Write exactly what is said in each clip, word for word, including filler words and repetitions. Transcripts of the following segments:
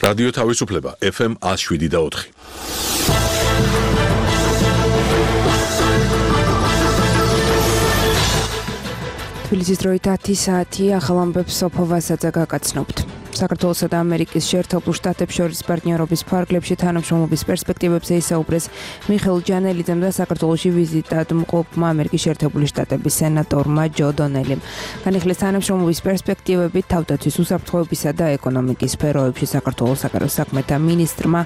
რადიო თავისუფლება ეფ ემ one oh seven და four. თბილისის დროით ათი საათი ახალ ამბებს სოფო ვასაძე გაგაცნობთ. საქართველოსა და ამერიკის შეერთებულ შტატებს შორის პარტნიორობის ფარგლებში თანამშრომლობის პერსპექტივებზე ისაუბრეს მიხეილ ჯანელიძემ და საქართველოში ვიზიტად მყოფმა ამერიკის შეერთებული შტატების სენატორმა ჯო დონელიმ. განიხილეს თანამშრომლობის პერსპექტივები თავდაცვის უსაფრთხოებისა და ეკონომიკის სფეროებში. საქართველოს საგარეო საქმეთა მინისტრმა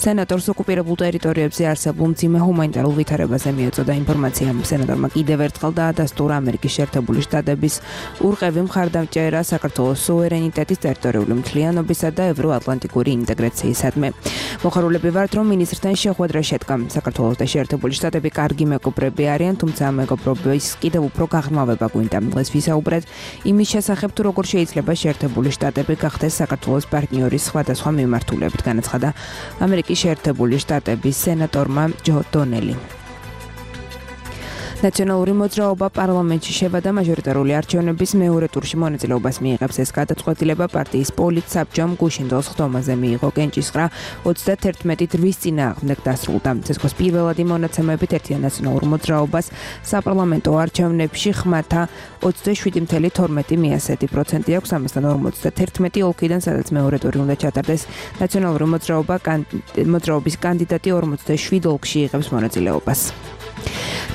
სენატორს ოკუპირებულ ტერიტორიებზე არსებულ მძიმე ჰუმანიტარულ ვითარებაზე მიაწოდა ინფორმაცია. სენატორმა კიდევ ერთხელ დაადასტურა ამერიკის შეერთებული შტატების ურყევი მხარდამჭერა საქართველოს სუვერენიტეტის ტერიტორიული მთლიანობისა და ევროატლანტიკური ინტეგრაციისადმი. მოხარულები ვართ, რომ მინისტრთან შეხვედრა შედგა. საქართველოს და შეერთებული შტატები კარგი მეგობრები არიან, თუმცა მეგობრობის კიდევ უფრო გაღრმავება გვინდა. დღეს ვისაუბრეთ იმის შესახებ, თუ როგორ შეიძლება შეერთებული შტატები გახდეს საქართველოს პარტნიორის სხვადასხვა მიმართულებით, განაცხადა ამერიკის შეერთებული შტატების სენატორმა ჯო დონელიმ. ნაციონალური მოძრაობა პარლამენტში შევადა მაჟორიტარული არჩევნების მეორე ტურში მონაწილეობას მიიღებს. ეს გადაწყვეტილება პარტიის პოლიტსაბჭომ გუშინდელს ხდომაზე მიიღო. კენჭისყრა ოცდაათი რვის წინააღმდეგ დასრულდა. ცესკოს პირველადი მონაცემებით ერთიან ნაციონალურ მოძრაობას საპარლამენტო არჩევნებში ხმათა ოცდაშვიდი ფاصლე თორმეტი პროცენტი აქვს. ამასთან ორმოცდაერთი ოლქიდან, სადაც მეორე ტური უნდა ჩატარდეს, ნაციონალური მოძრაობა მოძრაობის კანდიდატი ორმოცდაშვიდ ოლქში იღებს მონაწილეობას.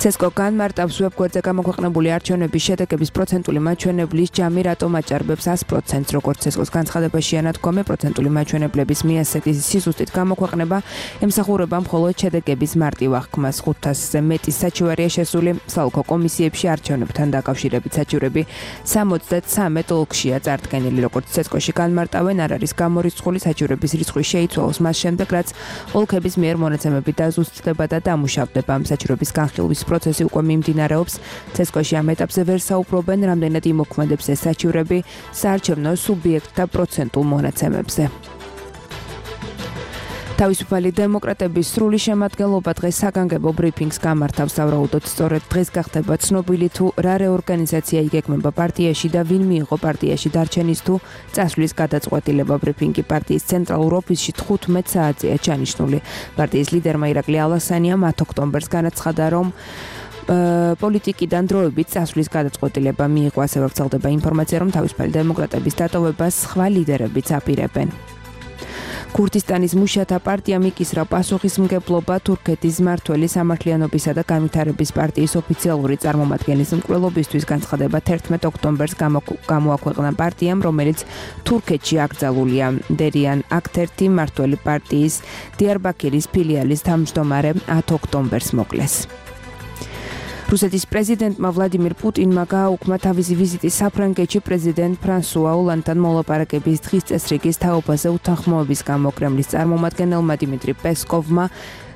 ცესკო განმარტავს ვებგვერდზე გამოქვეყნებული არჩევნების შედეგების პროცენტული მაჩვენებლის ჯამი რატომ აჭარბებს ას პროცენტს. როგორც ცესკოს განცხადებაში ანადგომი, პროცენტული მაჩვენებლების მიასეთი სიზუსტით გამოქვეყნება ემსახურება მხოლოდ შედეგების მარტივ აღქმას. ხუთასზე მეტი საჩივარია შესული. საოლქო კომისიებში არჩევნებთან დაკავშირებით საჩივრები სამოცდათრამეტ ოლქშია წარდგენილი. როგორც ცესკოში განმარტავენ, არ არის გამორიცხული საჩივრების რიცხვი შეიცვალოს მას შემდეგ, რაც ოლქების მიერ მონაცემები დაზუსტდება და დამუშავდება. საჩივრების განხილვის პროცესი უკვე მიმდინარეობს. ცესკოში ამ ეტაპზე ვერ საუბრობენ, რამდენად იმოქმედებს ეს საჩივრები საარჩევნო სუბიექტთა პროცენტულ მონაცემებზე. თავისუფალი დემოკრატების სრული შემადგენლობა დღეს საგანგებო ბრიფინგს გამართავს. სავარაუდოდ სწორედ დღეს გახდება ცნობილი, თუ რა რეორგანიზაცია იგეგმება პარტიაში და ვინ მიიღო პარტიაში დარჩენის თუ წასვლის გადაწყვეტილება. ბრიფინგი პარტიის ცენტრალურ ოფისში თხუთმეტ საათზეა ჩანიშნული. პარტიის ლიდერმა ირაკლი ალასანიამ ათი ოქტომბერს განაცხადა, რომ პოლიტიკიდან დროებით წასვლის გადაწყვეტილება მიიღო. ასევე ვრცელდება ინფორმაცია, რომ თავისუფალი დემოკრატების დატოვებას სხვა ლიდერებიც აპირებენ. ქურთისტანის მუშათა პარტიამ იკისრა პასუხისმგებლობა თურქეთის მმართველი სამართლიანობისა და განვითარების პარტიის ოფიციალური წარმომადგენლის მკვლელობისთვის. განცხადება თერთმეტ ოქტომბერს გამოაქვეყნა პარტიამ, რომელიც თურქეთში აკრძალულია. დერიან აქტერთი მმართველი პარტიის დიარბაქირის ფილიალის თავმჯდომარე ათი ოქტომბერს მოკლეს. რუსეთის პრეზიდენტმა ვლადიმირ პუტინმა გააუქმა თავისი ვიზიტი საფრანგეთში პრეზიდენტ ფრანსუა ოლანდთან მოლაპარაკების დღის წესრიგის თაობაზე უთანხმოების გამო. კრემლის წარმომადგენელმა დიმიტრი პესკოვმა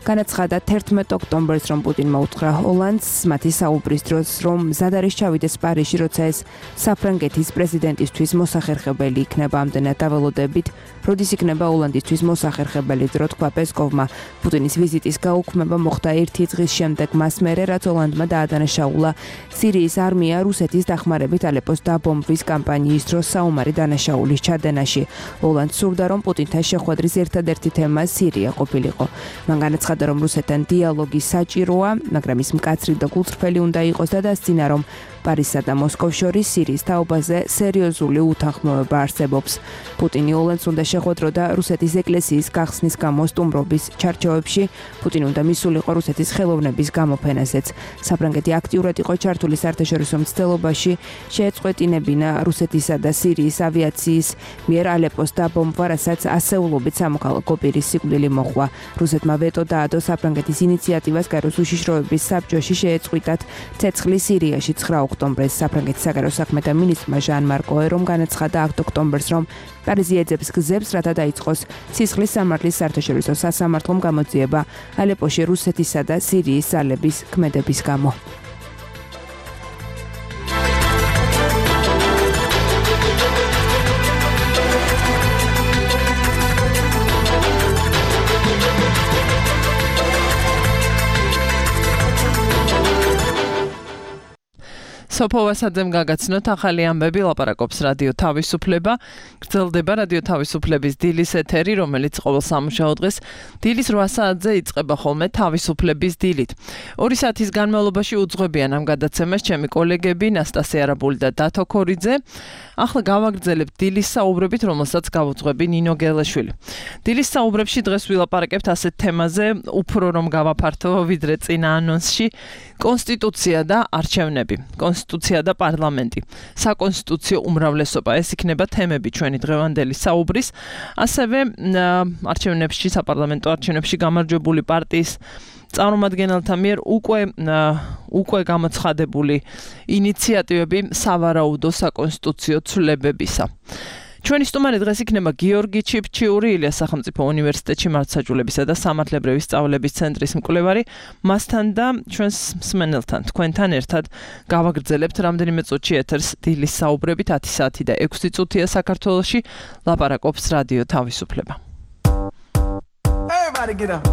განაცხადა თერთმეტ ოქტომბერს, რომ პუტინმა უთხრა ოლანდს მათი საუბრის დროს, რომ მზად არის ჩავიდეს პარიზში, როცა ეს საფრანგეთის პრეზიდენტისთვის მოსახერხებელი იქნება. ამდენად დაველოდებით, როდის იქნება ოლანდისთვის მოსახერხებელი დრო, თქვა პესკოვმა. პუტინის ვიზიტის გაუქმება მოხდა ერთი დღის შემდეგ, მას მერე, რაც ოლანდმა დაადანაშაულა სირიის არმია რუსეთის დახმარებით ალეპოს დაბომბვის კამპანიის დროს საომარი დანაშაულის ჩადენაში. ოლანდს სურდა, რომ პუტინთან შეხვედრის ერთადერთი თემა სირია ყოფილიყო. მან განაცხადა, რომ რუსეთთან დიალოგი საჭიროა, მაგრამ ის მკაცრი და გულწრფელი უნდა იყოს და დასძინა, რომ პარიზსა და მოსკოვს შორის სირიის თაობაზე სერიოზული უთანხმოება არსებობს. პუტინი ოლანდს უნდა შეხვედროდა რუსეთის ეკლესიის გახსნის გამო სტუმრობის ჩარჩოებში. პუტინი უნდა მისულიყო რუსეთის ხელოვნების გამოფენაზეც. საფრანგეთი აქტიურად იყო ჩართული საერთაშორისო მცდელობაში, შეეწყვეტინებინა რუსეთისა და სირიის ავიაციის მიერ ალეპოს დაბომბვა, რასაც ასეულობით სამოქალაქო პირის სიკვდილი მოჰყვა. რუსეთმა ვეტო დაადო საფრანგეთის ინიციატივას გაეროს უშიშროების საბჭოში შეეწყვიტათ ცეცხლი სირიაში ცხრა ოქტომბერს. საფრანგეთის საგარეო საქმეთა მინისტრმა ჟან-მარკ ოერომ განაცხადა ათი ოქტომბერს, რომ პარიზი ეძებს გზებს, რათა დაიწყოს სისხლის სამართლის საერთაშორისო სასამართლომ გამოძიება ალეპოში რუსეთისა და სირიის ძალების ქმედების გამო. სოფო ვასაძემ გაგაცნოთ ახალი ამბები, ლაპარაკობს რადიო თავისუფლება. გრძელდება რადიო თავისუფლების დილის ეთერი, რომელიც ყოველ სამუშაო დღეს დილის რვა საათზე იწყება ხოლმე თავისუფლების დილით. ორი საათის განმავლობაში უძღვებიან ამ გადაცემას ჩემი კოლეგები ნასტასია არაბული და დათო ქორიძე. ახლა გავაგრძელებთ დილის საუბრებით, რომელსაც გავუძღვები ნინო გელაშვილი. დილის საუბრებში დღეს ვილაპარაკებთ ასეთ თემაზე, უფრო რომ გავაფართო ვიდრე წინა ანონსში, კონსტიტუცია და არჩევნები. კონსტიტუცია და პარლამენტი. საკონსტიტუციო უმრავლესობა, ეს იქნება თემები ჩვენი დღევანდელი საუბრის. ასევე არჩევნებში, საპარლამენტო არჩევნებში გამარჯვებული პარტიის წარმომადგენელთა მიერ უკვე უკვე გამოცხადებული ინიციატივები სავარაუდო საკონსტიტუციო ცვლილებებისა. ჩვენი სტუმარი დღეს იქნება გიორგი ჩიფჩიური, ილიას სახელმწიფო უნივერსიტეტში მართლმსაჯულებისა და სამართლებრივი სწავლების ცენტრის მკვლევარი. მასთან და ჩვენს მსმენელთან, თქვენთან ერთად გავაგრძელებთ რამდენიმე წუთში ეთერს დილის საუბრებით. ათი საათი და ექვსი წუთია საქართველოში, ლაპარაკობს რადიო თავისუფლება. Everybody get up.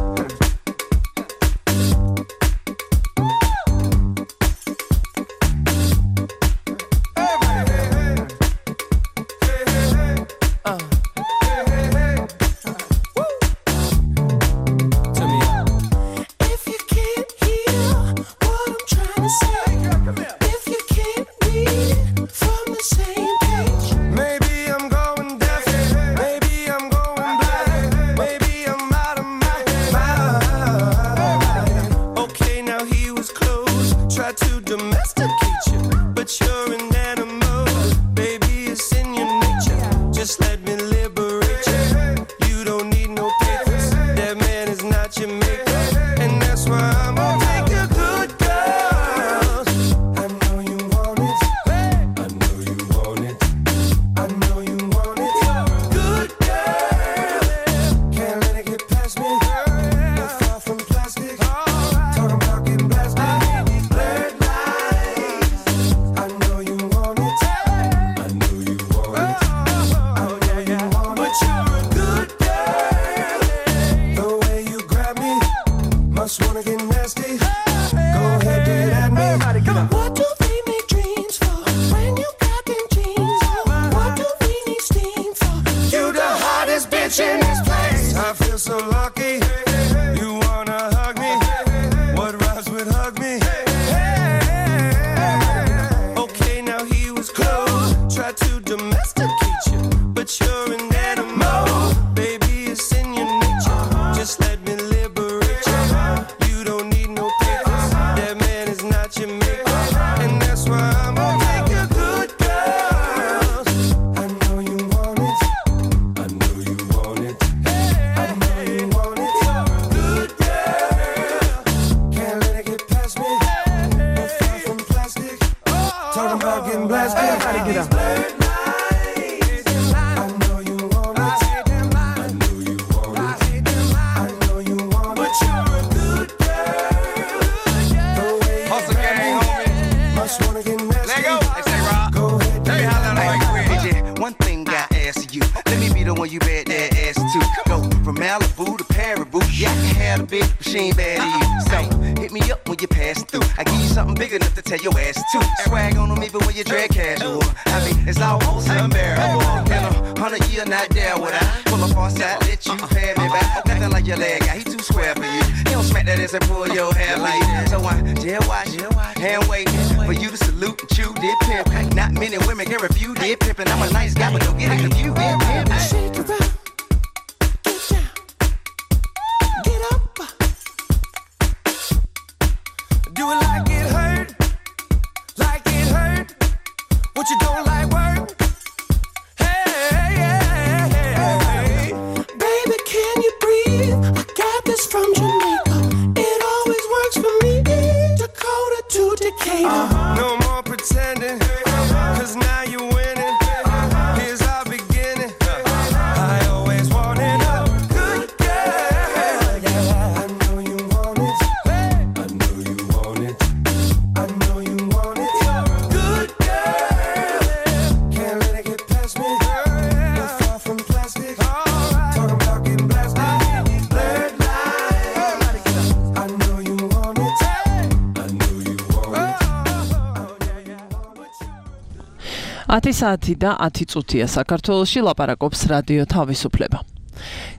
ათი საათი და ათი წუთია საქართველოში ლაპარაკობს რადიო თავისუფლება.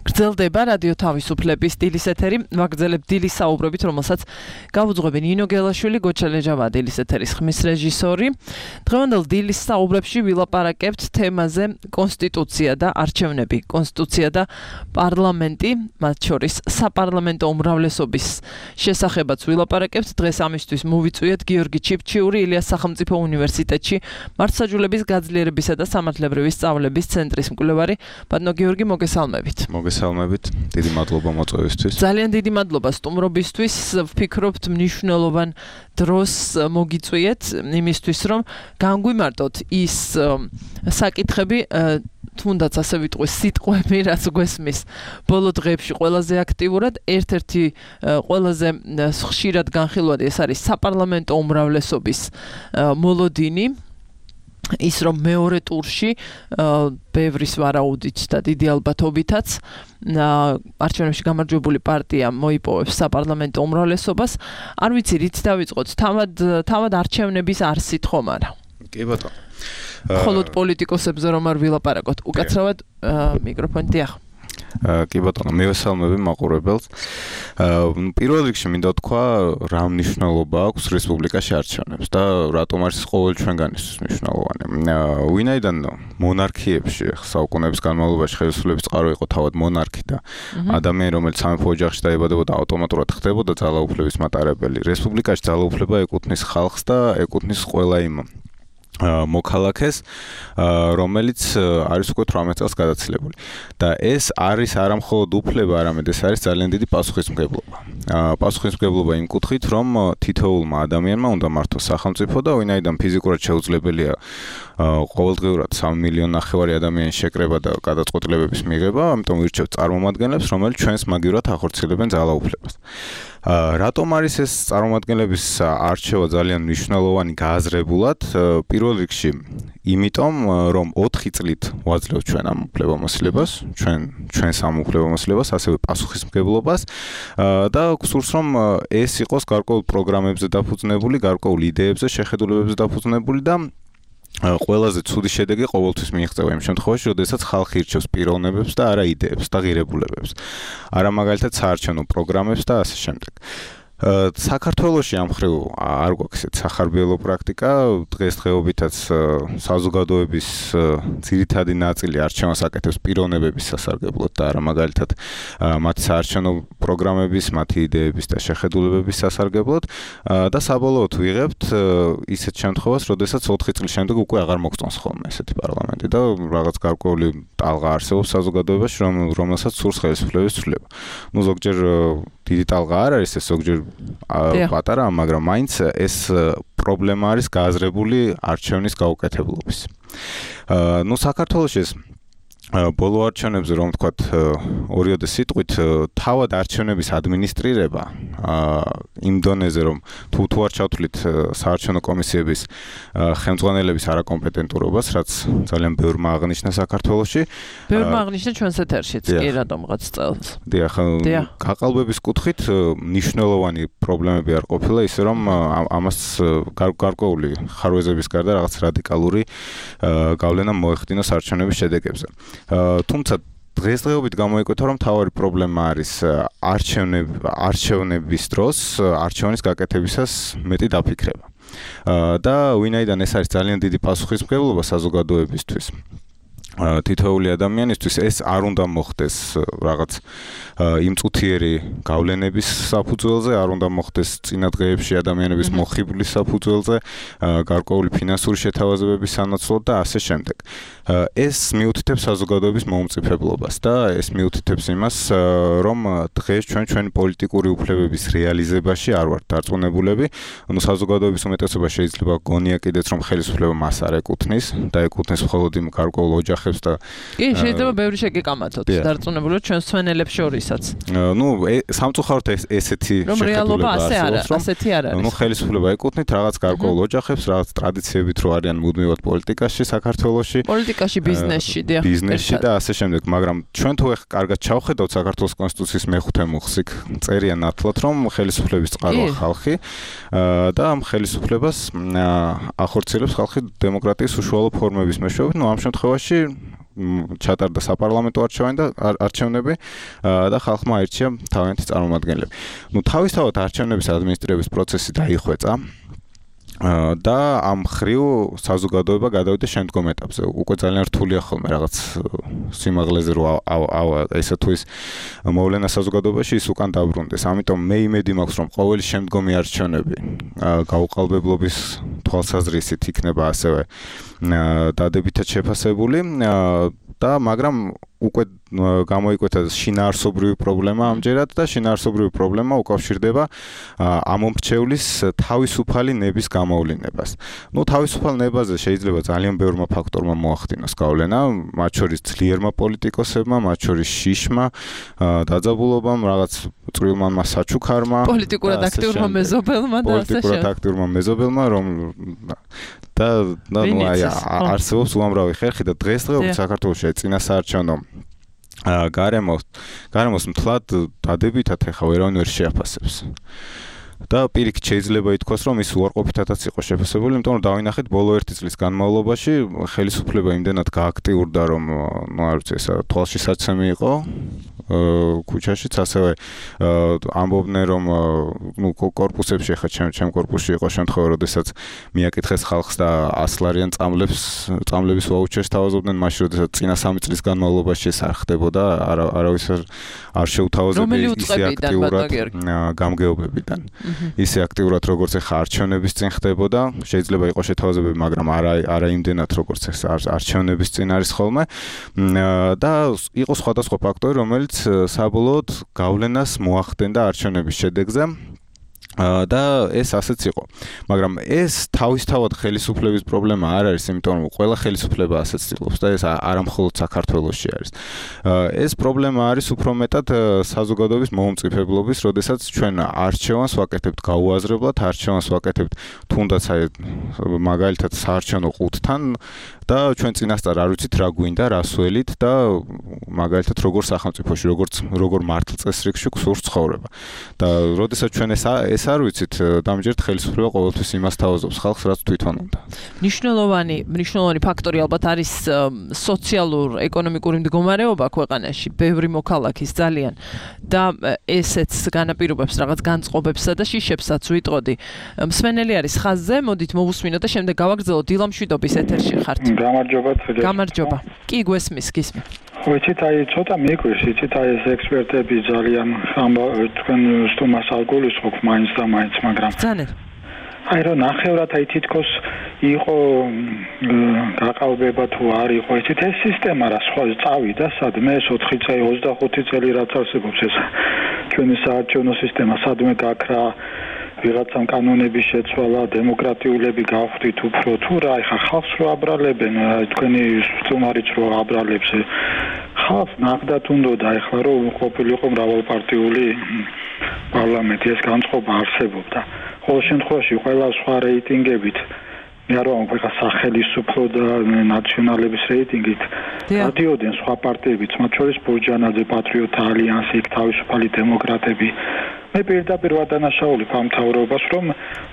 გრძელდება რადიო თავისუფლების დილის ეთერი, ვაგრძელებ დილის საუბრებით, რომელსაც გავუძღვები ნინო გელაშვილი, გოჩელეჯავა დილის ეთერის ხმის რეჟისორი. დღევანდელ დილის საუბრებში ვილაპარაკებთ თემაზე კონსტიტუცია და არჩევნები, კონსტიტუცია და პარლამენტი, მათ შორის საპარლამენტო უმრავლესობის შესახებაც ვილაპარაკებთ. დღეს ამისთვის მოვიწვიეთ გიორგი ჩიფჩიური, ილიას სახელმწიფო უნივერსიტეტში მართლმსაჯულების გაძლიერებისა და სამართლებრივი სწავლების ცენტრის მკვლევარი. ბატონო გიორგი, მოგესალმებით. მოგესალმებით. დიდი მადლობა მოწვევისთვის. ძალიან დიდი მადლობა სტუმრობისთვის. ვფიქრობთ მნიშვნელოვან დროს მოგიწვიეთ იმისთვის, რომ განგვიმარტოთ ის საკითხები, თუნდაც ასე ვიტყვი სიტყვები, რაც გვესმის ბოლო დღეებში ყველაზე აქტიურად. ერთ-ერთი ყველაზე ხშირად განხილვადი ეს არის საპარლამენტო უმრავლესობის მოლოდინი. ის რომ მეორე ტურში ბევრის ვარაუდით და დიდი ალბათობითაც არჩევნებში გამარჯვებული პარტია მოიპოვებს საპარლამენტო უმრავლესობას. არ ვიცი რით დავიწყოთ, თავად თავად არჩევნების არსით ხომ არა? კი ბატონო. მხოლოდ პოლიტიკოსებზე რომ არ ვილაპარაკოთ, უკაცრავად მიკროფონი დიახ. კი ბატონო, მივესალმები მაყურებელს. პირველ რიგში მინდა თქვა, რა მნიშვნელობა აქვს რესპუბლიკაში არჩევნებს და რატომ არის ყოველ ჩვენგანისთვის მნიშვნელოვანი. ვინაიდან მონარქიებში საუკუნეების განმავლობაში ხელისუფლების წყარო იყო თავად მონარქი და ადამიანი, რომელიც სამეფო ოჯახში დაიბადებოდა, ავტომატურად ხდებოდა ძალაუფლების მატარებელი. რესპუბლიკაში ძალაუფლება ეკუთვნის ხალხს და ეკუთვნის ყველა იმ მოქალაქეს, რომელიც არის უკვე თვრამეტ წელს გადაცილებული. და ეს არის არა მხოლოდ უფლება, არამედ ეს არის ძალიან დიდი პასუხისმგებლობა. პასუხისმგებლობა იმ კუთხით, რომ თითოეულმა ადამიანმა უნდა მართოს სახელმწიფო და ვინაიდან ფიზიკურად შეუძლებელია ყოველდღიურად სამი მილიონი ნახევარი ადამიანის შეკრება და გადაწყვეტილებების მიღება, ამიტომ ვირჩევთ წარმომადგენლებს, რომელიც ჩვენს მაგივრად ახორციელებენ ძალაუფლებას. რატომ არის ეს წარმომადგენლების არჩევა ძალიან მნიშვნელოვანი გააზრებულად? პირველ რიგში იმიტომ, რომ ოთხი წლით ვაძლევთ ჩვენ ამ უფლებამოსილებას, ჩვენ ჩვენს ამ უფლებამოსილებას, ასევე პასუხისმგებლობას და გსურს, რომ ეს იყოს გარკვეულ პროგრამებზე დაფუძნებული, გარკვეულ იდეებზე, შეხედულებებზე დაფუძნებული და ყველაზე ცუდი შედეგი ყოველთვის მიიღწევა იმ შემთხვევაში, როდესაც ხალხი ირჩევს პიროვნებებს და არა იდეებს და ღირებულებებს. არა მაგალითად საარჩევნო პროგრამებს და ასე შემდეგ. საქართველოში ამ მხრივ არ გვაქვს ესეთ სახარბიელო პრაქტიკა. დღესდღეობითაც საზოგადოების ძირითადი ნაწილი არჩევანს აკეთებს პიროვნებების სასარგებლოდ და არა მაგალითად მათი საარჩევნო პროგრამების, მათი იდეების და შეხედულებების სასარგებლოდ და საბოლოოდ ვიღებთ ისეთ შემთხვევას, როდესაც ოთხი წლის შემდეგ უკვე აღარ მოგწონს ხოლმე ესეთი პარლამენტი და რაღაც გარკვეული ტალღა არსებობს საზოგადოებაში, რომელსაც სურს ხელისუფლების ცვლილება. ნუ ზოგჯერ დიდი ტალღა არ არის ეს, ზოგჯერ პატარა, მაგრამ მაინც ეს პრობლემა არის გააზრებული არჩევნის გაუკეთებლობის. ნუ საქართველოში ეს ბოლო არჩევნებზე რომ ვთქვათ ორიოდე სიტყვით თავად არჩევნების ადმინისტრირება იმ დონეზე რომ თუ თუ არ ჩავთვლით საარჩევნო კომისიების ხელმძღვანელების არაკომპეტენტურობას, რაც ძალიან ბევრმა აღნიშნა საქართველოში. ბევრმა აღნიშნა ჩვენს ეთერშიც, კი რატომღაც წელს. დიახ, გაყალბების კუთხით მნიშვნელოვანი პრობლემები არ ყოფილა, ისე რომ ამას გარკვეული ხარვეზების გარდა რაღაც რადიკალური გავლენა მოეხდინა საარჩევნების შედეგებზე. თუმცა დღესდღეობით გამოიკვეთა, რომ მთავარი პრობლემა არის არჩევნების დროს არჩევნის გაკეთებისას მეტი დაფიქრება. და ვინაიდან ეს არის ძალიან დიდი პასუხისმგებლობა საზოგადოებისთვის, თითოეული ადამიანისთვის ეს არ უნდა მოხდეს რაღაც იმწუთიერი გავლენების საფუძველზე, არ უნდა მოხდეს წინა დღეებში ადამიანების მოხიბლის საფუძველზე, გარკვეული ფინანსური შეთავაზებების სანაცვლოდ და ასე შემდეგ. ეს მიუთითებს საზოგადოების მომწიფებლობას და ეს მიუთითებს იმას, რომ დღეს ჩვენ ჩვენი პოლიტიკური უფლებების რეალიზებაში არ ვართ დარწმუნებულები. ანუ საზოგადოების უმეტესობა შეიძლება გონია კიდეც, რომ ხელისუფლება მას არ ეკუთვნის და ეკუთვნის მხოლოდ იმ გარკვეულ ოჯახ ოჯახებს და კი, შეიძლება ბევრი შეგეკამათოთ დარწმუნებული ჩვენ სვენელებს შორისაც. ნუ სამწუხაროდ ესეთი შეხედულება არსებობს, რომ ასეთი არ არის. ნუ ხელისუფლება ეკუთვნით რაღაც გარკვეულ ოჯახებს, რაღაც ტრადიციებით რო არიან მუდმივად პოლიტიკაში საქართველოში, პოლიტიკაში, ბიზნესში, დიახ, ბიზნესში და ასე შემდეგ, მაგრამ ჩვენ თუ ეხ კარგად ჩავხედავთ საქართველოს კონსტიტუციის მეხუთე მუხლს, იქ წერია ნათლად, რომ ხელისუფლების წყაროა ხალხი და ამ ხელისუფლებას ახორციელებს ხალხი დემოკრატიის უშუალო ფორმების მეშვეობით. ნუ ამ შემთხვევაში ჩატარდა საპარლამენტო არჩევანი და არჩევნები და ხალხმა აირჩია თავიანთი წარმომადგენლები. ნუ თავისთავად არჩევნების ადმინისტრირების პროცესი დაიხვეწა და ამ ხრივ საზოგადოება გადავიდა შემდგომ ეტაპზე. უკვე ძალიან რთულია ხოლმე რაღაც სიმაღლეზე რო ესა თუ ის მოვლენა საზოგადოებაში ის უკან დაბრუნდეს. ამიტომ მე იმედი მაქვს, რომ ყოველი შემდგომი არჩევნები გაუყალბებლობის თვალსაზრისით იქნება ასევე დადებითად შეფასებული და მაგრამ უკვე გამოიკვეთა შინაარსობრივი პრობლემა ამჯერად და შინაარსობრივი პრობლემა უკავშირდება ამომრჩევლის თავისუფალი ნების გამოვლინებას. ნუ თავისუფალ ნებაზე შეიძლება ძალიან ბევრმა ფაქტორმა მოახდინოს გავლენა, მათ შორის ძლიერმა პოლიტიკოსებმა, მათ შორის შიშმა, დაძაბულობამ, რაღაც წვრილმანმა საჩუქარმა, პოლიტიკურად აქტიურმა მეზობელმა და ასე შემდეგ. პოლიტიკურად აქტიურმა მეზობელმა, რომ და ნუ აი არსებობს უამრავი ხერხი და დღესდღეობით საქართველოში წინასაარჩევნო გარემოს გარემოს მთლად დადებითად ეხა ვერავინ ვერ შეაფასებს. და პირიქით შეიძლება ითქვას, რომ ის უარყოფითადაც იყო შეფასებული, იმიტომ რომ დავინახეთ ბოლო ერთი წლის განმავლობაში ხელისუფლება იმდენად გააქტიურდა, რომ ნუ არ ვიცი, ესა თვალში საცემი იყო ქუჩაშიც, ასევე ამბობდნენ, რომ ნუ კორპუსებში ხა ჩემ ჩემ კორპუსში იყო შემთხვევა, როდესაც მიაკითხეს ხალხს და ასი ლარიან წამლებს წამლების ვაუჩერს თავაზობდნენ, მაშინ როდესაც წინა სამი წლის განმავლობაში ეს არ ხდებოდა, არავის არ შეუთავაზებია ისე აქტიურად გამგეობებიდან. ისე აქტიურად როგორც ეხა არჩევნების წინ ხდებოდა, შეიძლება იყოს შეთავაზებები, მაგრამ არა არა იმდენად როგორც ეს არჩევნების წინ არის ხოლმე და იყო სხვადასხვა ფაქტორი, რომელიც საბოლოოდ გავლენას მოახდენდა არჩევნების შედეგზე და ეს ასეც იყო. მაგრამ ეს თავისთავად ხელისუფლების პრობლემა არ არის, იმიტომ რომ ყველა ხელისუფლება ასეც ცდილობს და ეს არა მხოლოდ საქართველოში არის. ეს პრობლემა არის უფრო მეტად საზოგადოების მომწიფებლობის, როდესაც ჩვენ არჩევანს ვაკეთებთ გაუაზრებლად, არჩევანს ვაკეთებთ თუნდაც აი მაგალითად საარჩევნო ყუთთან და ჩვენ წინასწარ არ ვიცით რა გვინდა, რა სველით და მაგალითად როგორ სახელმწიფოში, როგორც როგორ მართლწესრიგში გსურს ცხოვრება. და როდესაც ჩვენ ეს ეს არ ვიცით, დამჯერად ხელისუფლება ყოველთვის იმას თავაზობს ხალხს, რაც თვითონ უნდა. მნიშვნელოვანი მნიშვნელოვანი ფაქტორი ალბათ არის სოციალურ-ეკონომიკური მდგომარეობა ქვეყანაში, ბევრი მოქალაქის ძალიან და ესეც განაპირობებს რაღაც განწყობებსა და შიშებსაც ვიტყოდი. მსმენელი არის ხაზზე, მოდით მოვუსმინოთ და შემდეგ გავაგრძელოთ. დილა მშვიდობის ეთერში ხართ. გამარჯობა. გამარჯობა. კი გვესმის, გისმით. ვიცით, აი ცოტა მიგვირს, ვიცით, აი ეს ექსპერტები ძალიან თქვენ სტუმარს არ გულისხმობ მაინც და მაინც, მაგრამ ძალიან აი რომ ნახევრად აი თითქოს იყო გაყალბება თუ არ იყო, ვიცით, ეს სისტემა რა სხვა წავიდა სადმე ეს ოთხი წელი ოცდახუთი წელი რაც არსებობს ეს ჩვენი საარჩევნო სისტემა სადმე გაქრა ვიღაცამ კანონების შეცვალა, დემოკრატიულები გავხდით უფრო თუ რა, ეხა ხალხს რო აბრალებენ, თქვენი სტუმარიც რო აბრალებს, ხალხს ნახდათ უნდოდა ეხლა რომ ყოფილიყო მრავალპარტიული პარლამენტი, ეს განწყობა არსებობდა. ყოველ შემთხვევაში ყველა სხვა რეიტინგებით მე არ ვამბობ ეხლა სახელმწიფო და ნაციონალების რეიტინგით დადიოდნენ სხვა პარტიებიც, მათ შორის ბურჯანაძე, პატრიოტთა ალიანსი, თავისუფალი დემოკრატები. მე პირდაპირ ვადანაშაულებ ამ მთავრობას, რომ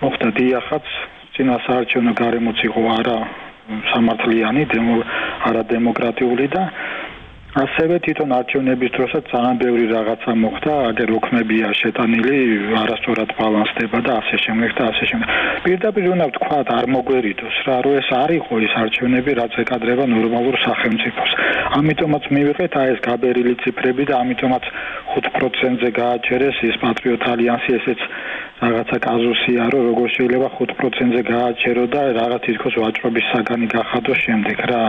მოხდა დიახაც წინასაარჩევნო გარემოც იყო არა სამართლიანი, არა დემოკრატიული და ასევე თვითონ არჩევნების დროსაც ძალიან ბევრი რაღაცა მოხდა, აგერ ოქმებია შეტანილი, არასწორად ბალანსდება და ასე შემდეგ და ასე შემდეგ. პირდაპირ უნდა ვთქვათ, არ მოგვერიდოს რა, რომ ეს არ იყო ის არჩევნები, რაც ეკადრება ნორმალურ სახელმწიფოს. ამიტომაც მივიღეთ აი ეს გაბერილი ციფრები და ამიტომაც ხუთ პროცენტზე გააჩერეს ის პატრიოტ ალიანსი, ესეც რაღაცა კაზუსია, რომ როგორ შეიძლება ხუთ პროცენტზე გააჩერო და რაღაც თითქოს ვაჭრობის საგანი გახადოს შემდეგ რა.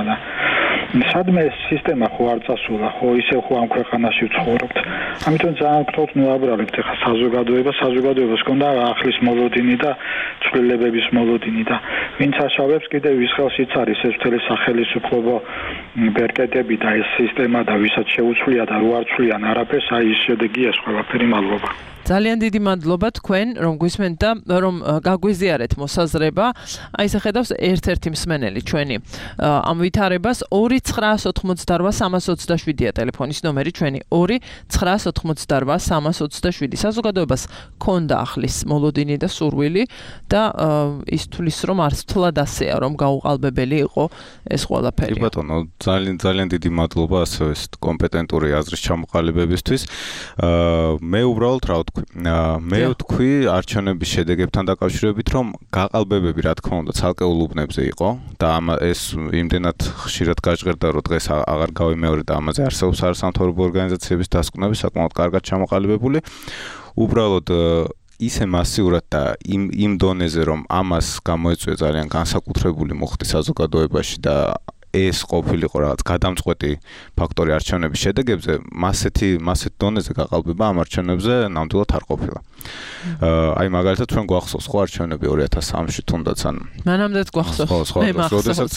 სადმე ეს სისტემა ხო არ წასულა, ხო ისე ხო ამ ქვეყანაში ვცხოვრობთ. ამიტომ ძალიან გთხოვთ მოვაბრალებთ ახლა საზოგადოება, საზოგადოებას ჰქონდა ახლის მოლოდინი და ცვლილებების მოლოდინი და ვინც აშავებს კიდევ ვის ხელშიც არის ეს მთელი სახელმწიფო ბერკეტები და ეს სისტემა და ვისაც შეუცვლია და რო არ ცვლიან არაფერს, აი ის შედეგია ეს ყველაფერი. მადლობა. ძალიან დიდი მადლობა თქვენ რომ გვისმენთ და რომ გაგვიზიარეთ მოსაზრება. აი ეს ხედავს ერთ-ერთი მსმენელი ჩვენი ამ ვითარებას ორი ცხრაას ოთხმოცდარვა სამას ოცდაშვიდია ტელეფონის ნომერი ჩვენი ორი ცხრაას ოთხმოცდარვა სამას ოცდაშვიდი. საზოგადოებას ქონდა ახლის მოლოდინი და სურვილი და ის თulis რომ არც თლად ასეა რომ გაუყალბებელი იყო ეს ყველაფერი. კი ბატონო, ძალიან ძალიან დიდი მადლობა ასევე ეს კომპეტენტური აზრის ჩამოყალიბებისთვის. მე უბრალოდ რა ვთქვი, მე ვთქვი არჩევნების შედეგებთან დაკავშირებით, რომ გაყალბებები რა თქმა უნდა ცალკეულ უბნებზე იყო და ამ ეს იმდენად ხშირად გაჟღერდა, რომ დღეს აღარ გავიმეორე და ამაზე არსებობს არასამთავრობო ორგანიზაციების დასკვნები საკმაოდ კარგად ჩამოყალიბებული. უბრალოდ ისე მასიურად და იმ იმ დონეზე, რომ ამას გამოეწვია ძალიან განსაკუთრებული მუხტი საზოგადოებაში და ეს ყოფილიყო რაღაც გადამწყვეტი ფაქტორი არჩევნების შედეგებზე, მასეთი მასეთ დონეზე გაყალბება ამ არჩევნებზე ნამდვილად არ ყოფილა. აი მაგალითად ჩვენ გვახსოვს ხო არჩევნები ორი ათას სამში თუნდაც ან მანამდეც გვახსოვს. ხო, ხო, როდესაც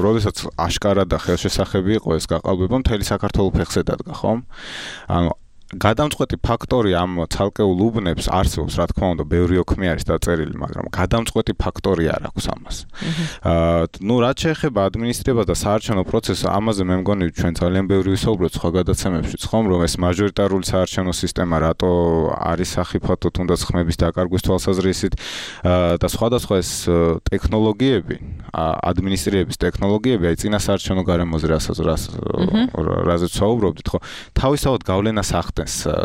როდესაც აშკარად და ხელშესახები იყო ეს გაყალბება, მთელი საქართველო ფეხზე დადგა, ხო? ანუ გადამწყვეტი ფაქტორი ამ ცალკეულ უბნებს არსებობს, რა თქმა უნდა, ბევრი ოქმი არის დაწერილი, მაგრამ გადამწყვეტი ფაქტორი არ აქვს ამას. აა, ნუ რაც შეეხება ადმინისტრირებას და საარჩევნო პროცესს, ამაზე მე მგონი ჩვენ ძალიან ბევრი ვისაუბროთ სხვა გადაცემებშიც, ხომ, რომ ეს მაჟორიტარული საარჩევნო სისტემა რატო არის სახიფათო თუნდაც ხმების დაკარგვის თვალსაზრისით და სხვადასხვა ეს ტექნოლოგიები, ადმინისტრირების ტექნოლოგიები, აი წინა საარჩევნო გარემოზე რასაც რაზეც ვსაუბრობდით, ხო, თავისთავად გავლენას ახდენს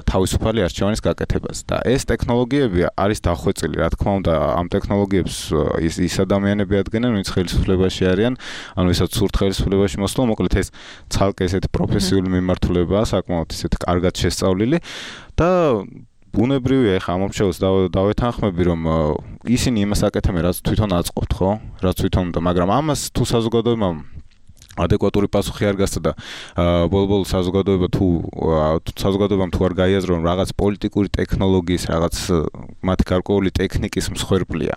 თავისუფალი არჩევანის გაკეთებას და ეს ტექნოლოგიები არის დახვეწილი, რა თქმა უნდა, ამ ტექნოლოგიებს ის ის ადამიანები ადგენენ, ვინც ხელისუფლებაში არიან, ანუ ვისაც სურთ ხელისუფლებაში მოსვლა, მოკლედ ეს ცალკე ესეთი პროფესიული მიმართულებაა, საკმაოდ ისეთი კარგად შესწავლილი და ბუნებრივია ეხა ამ მომჩეულს დავეთანხმები, რომ ისინი იმას აკეთებენ, რაც თვითონ აწყობთ, ხო? რაც თვითონ უნდა, მაგრამ ამას თუ საზოგადოებამ ადეკვატური პასუხი არ გასცა და ბოლო-ბოლო საზოგადოება თუ საზოგადოებამ თუ არ გაიაზრო რომ რაღაც პოლიტიკური ტექნოლოგიის, რაღაც მათი გარკვეული ტექნიკის მსხვერპლია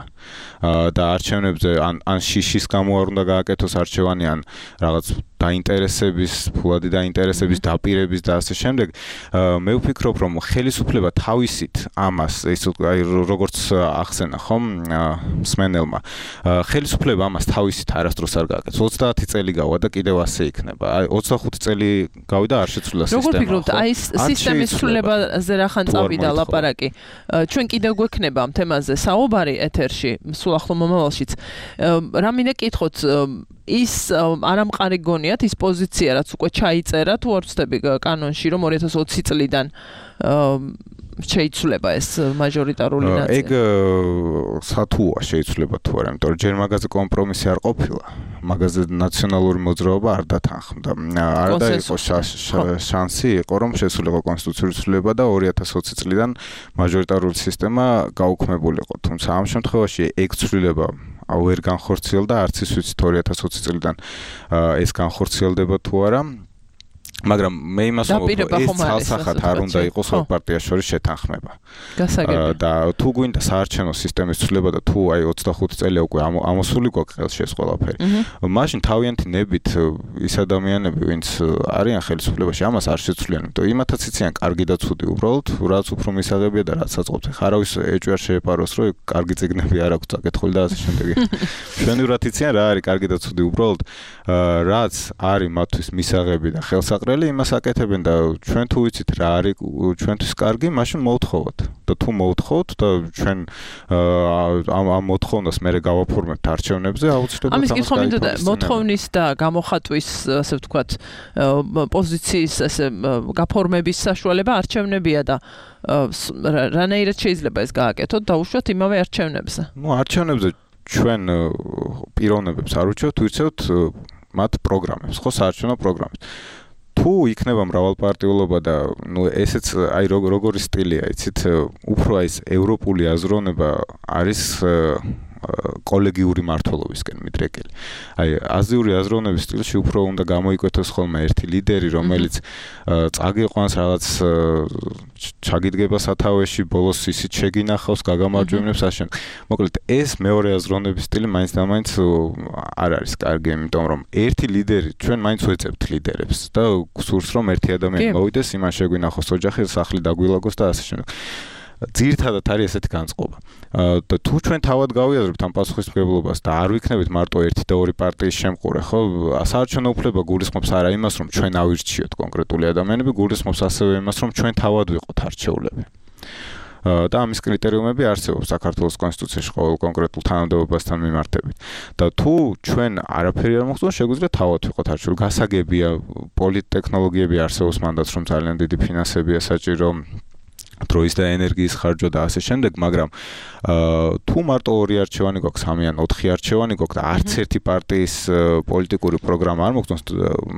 და არჩევნებზე ან ან შიშის გამო არ უნდა გააკეთოს არჩევანი, ან რაღაც დაინტერესების, ფულადი დაინტერესების დაპირების და ასე შემდეგ, მე ვფიქრობ, რომ ხელისუფლება თავისით ამას, ის აი როგორც ახსენა ხომ მსმენელმა, ხელისუფლება ამას თავისით არასდროს არ გააკეთებს. ოცდაათი წელი გავა და კიდევ ასე იქნება. აი ოცდახუთი წელი გავიდა არ შეცვლილა სისტემა. როგორ ფიქრობთ, აი სისტემის ცვლილებაზე რახან წავიდა ლაპარაკი. ჩვენ კიდევ გვექნება ამ თემაზე საუბარი ეთერში, სულ ახლო მომავალშიც. რა მინდა კითხოთ, ის არამყარი გონიათ ის პოზიცია, რაც უკვე ჩაიწერა, თუ არ ვცდები კანონში, რომ ორი ათას ოცი წლიდან შეიცვლება ეს მაჟორიტარული ნაწილი. ეგ სათუა შეიცვლება თუ არა, იმიტომ რომ ჯერ მაგაზე კომპრომისი არ ყოფილა. მაგაზე ნაციონალური მოძრაობა არ დათანხმდა. არ დაიყო შანსი, იყო რომ შესულიყო კონსტიტუციური ცვლილება და ორი ათას ოცი წლიდან მაჟორიტარული სისტემა გაუქმებულიყო. თუმცა ამ შემთხვევაში ეგ ცვლილება აუ ვერ განხორციელდა, არც ის ვიცით ორი ათას ოცი წლიდან ეს განხორციელდება თუ არა. მაგრამ მე იმას ვამბობ, ეს ცალსახად არ უნდა იყოს ორ პარტიას შორის შეთანხმება. გასაგებია. და თუ გვინდა საარჩევნო სისტემის ცვლილება და თუ აი ოცდახუთი წელი უკვე ამოსული გვაქვს ხელში ეს ყველაფერი, მაშინ თავიანთი ნებით ის ადამიანები, ვინც არიან ხელისუფლებაში, ამას არ შეცვლიან, იმიტომ იმათაც იციან კარგი და ცუდი, უბრალოდ რაც უფრო მისაღებია და რაც საწყობთ. ხა არავის ეჭვი არ შეეპაროს, რომ კარგი წიგნები არ აქვს წაკითხული და ასე შემდეგ. მშვენივრად იციან რა არის კარგი და ცუდი, უბრალოდ რაც არის მათთვის მისაღები და ხელსაყრელი იმას აკეთებენ და ჩვენ თუ ვიცით რა არის ჩვენთვის კარგი, მაშინ მოვთხოვოთ. და თუ მოვთხოვოთ და ჩვენ ამ ამ მოთხოვნას მე გავაფორმებთ არჩევნებზე, აუცილებლად ამის კითხვა მინდოდა მოთხოვნის და გამოხატვის, ასე ვთქვათ, პოზიციის ასე გაფორმების საშუალება არჩევნებია და რანაირად შეიძლება ეს გააკეთოთ დაუშვათ იმავე არჩევნებზე. ნუ არჩევნებზე ჩვენ პიროვნებებს არ უჩვევთ, ვირჩევთ მათ პროგრამებს, ხო, საარჩევნო პროგრამებს. თუ იქნება მრავალპარტიულობა და ნუ ესეც აი როგორი სტილია, იცით, უფრო აი ეს ევროპული აზროვნება არის კოლეგიური მმართველობისკენ მიდრეკილი. აი აზიური აზროვნების სტილში უფრო უნდა გამოიკვეთოს ხოლმე ერთი ლიდერი, რომელიც წაგიყვანს რაღაც ჩაგიდგება სათავეში, ბოლოს ისიც შეგინახავს, გაგამარჯვებებს აშენ. მოკლედ ეს მეორე აზროვნების სტილი მაინც და მაინც არ არის კარგი, იმიტომ რომ ერთი ლიდერი ჩვენ მაინც ვეწევთ ლიდერებს და გსურს რომ ერთი ადამიანი მოვიდეს, იმან შეგვინახოს ოჯახი, სახლი დაგვილაგოს და ასე შემდეგ. ძირითადად არის ესეთი განწყობა. და თუ ჩვენ თავად გავიაზრებთ ამ პასუხისმგებლობას და არ ვიქნებით მარტო ერთი და ორი პარტიის შემყურე, ხო, საარჩევნო უფლება გულისხმობს არა იმას, რომ ჩვენ ავირჩიოთ კონკრეტული ადამიანები, გულისხმობს ასევე იმას, რომ ჩვენ თავად ვიყოთ არჩეულები. და ამის კრიტერიუმები არსებობს საქართველოს კონსტიტუციაში ყოველ კონკრეტულ თანამდებობასთან მიმართებით. და თუ ჩვენ არაფერი არ მოხდება, შეგვიძლია თავად ვიყოთ არჩეული. გასაგებია, პოლიტტექნოლოგიები არსებობს მანდაც, რომ ძალიან დიდი ფინანსებია საჭირო, დროის და ენერგიის ხარჯვა და ასე შემდეგ, მაგრამ თუ მარტო ორი არჩევანი გვაქვს, სამი ან ოთხი არჩევანი გვაქვს და არც ერთი პარტიის პოლიტიკური პროგრამა არ მოგვწონს,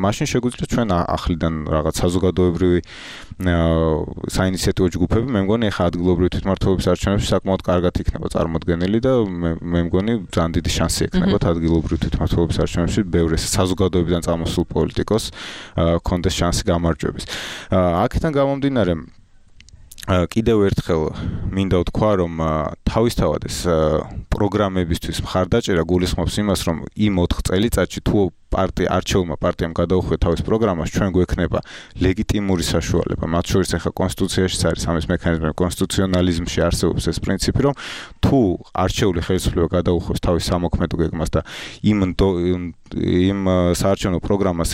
მაშინ შეგვიძლია ჩვენ ახლიდან რაღაც საზოგადოებრივი საინიციატივო ჯგუფები, მე მგონი ახლა ადგილობრივი თვითმმართველობის არჩევნებში საკმაოდ კარგად იქნება წარმოდგენილი და მე მგონი ძალიან დიდი შანსი ექნებათ ადგილობრივი თვითმმართველობის არჩევნებში ბევრ ეს საზოგადოებიდან წამოსულ პოლიტიკოს კონდეს შანსი გამარჯვების. აქედან გამომდინარე კიდევ ერთხელ მინდა ვთქვა, რომ თავისთავად ეს პროგრამებისთვის მხარდაჭერა გულისხმობს იმას, რომ იმ ოთხ წელიწადში თუ პარტია არჩეულმა პარტიამ გადაუხვია თავის პროგრამას, ჩვენ გვექნება ლეგიტიმური საშუალება. მათ შორის ახლა კონსტიტუციაში არის ამის მექანიზმი, კონსტიტუციონალიზმში არსებობს ეს პრინციპი, რომ თუ არჩეული ხელისუფლება გადაუხვევს თავის სამოქმედო გეგმას და იმ იმ საარჩევნო პროგრამას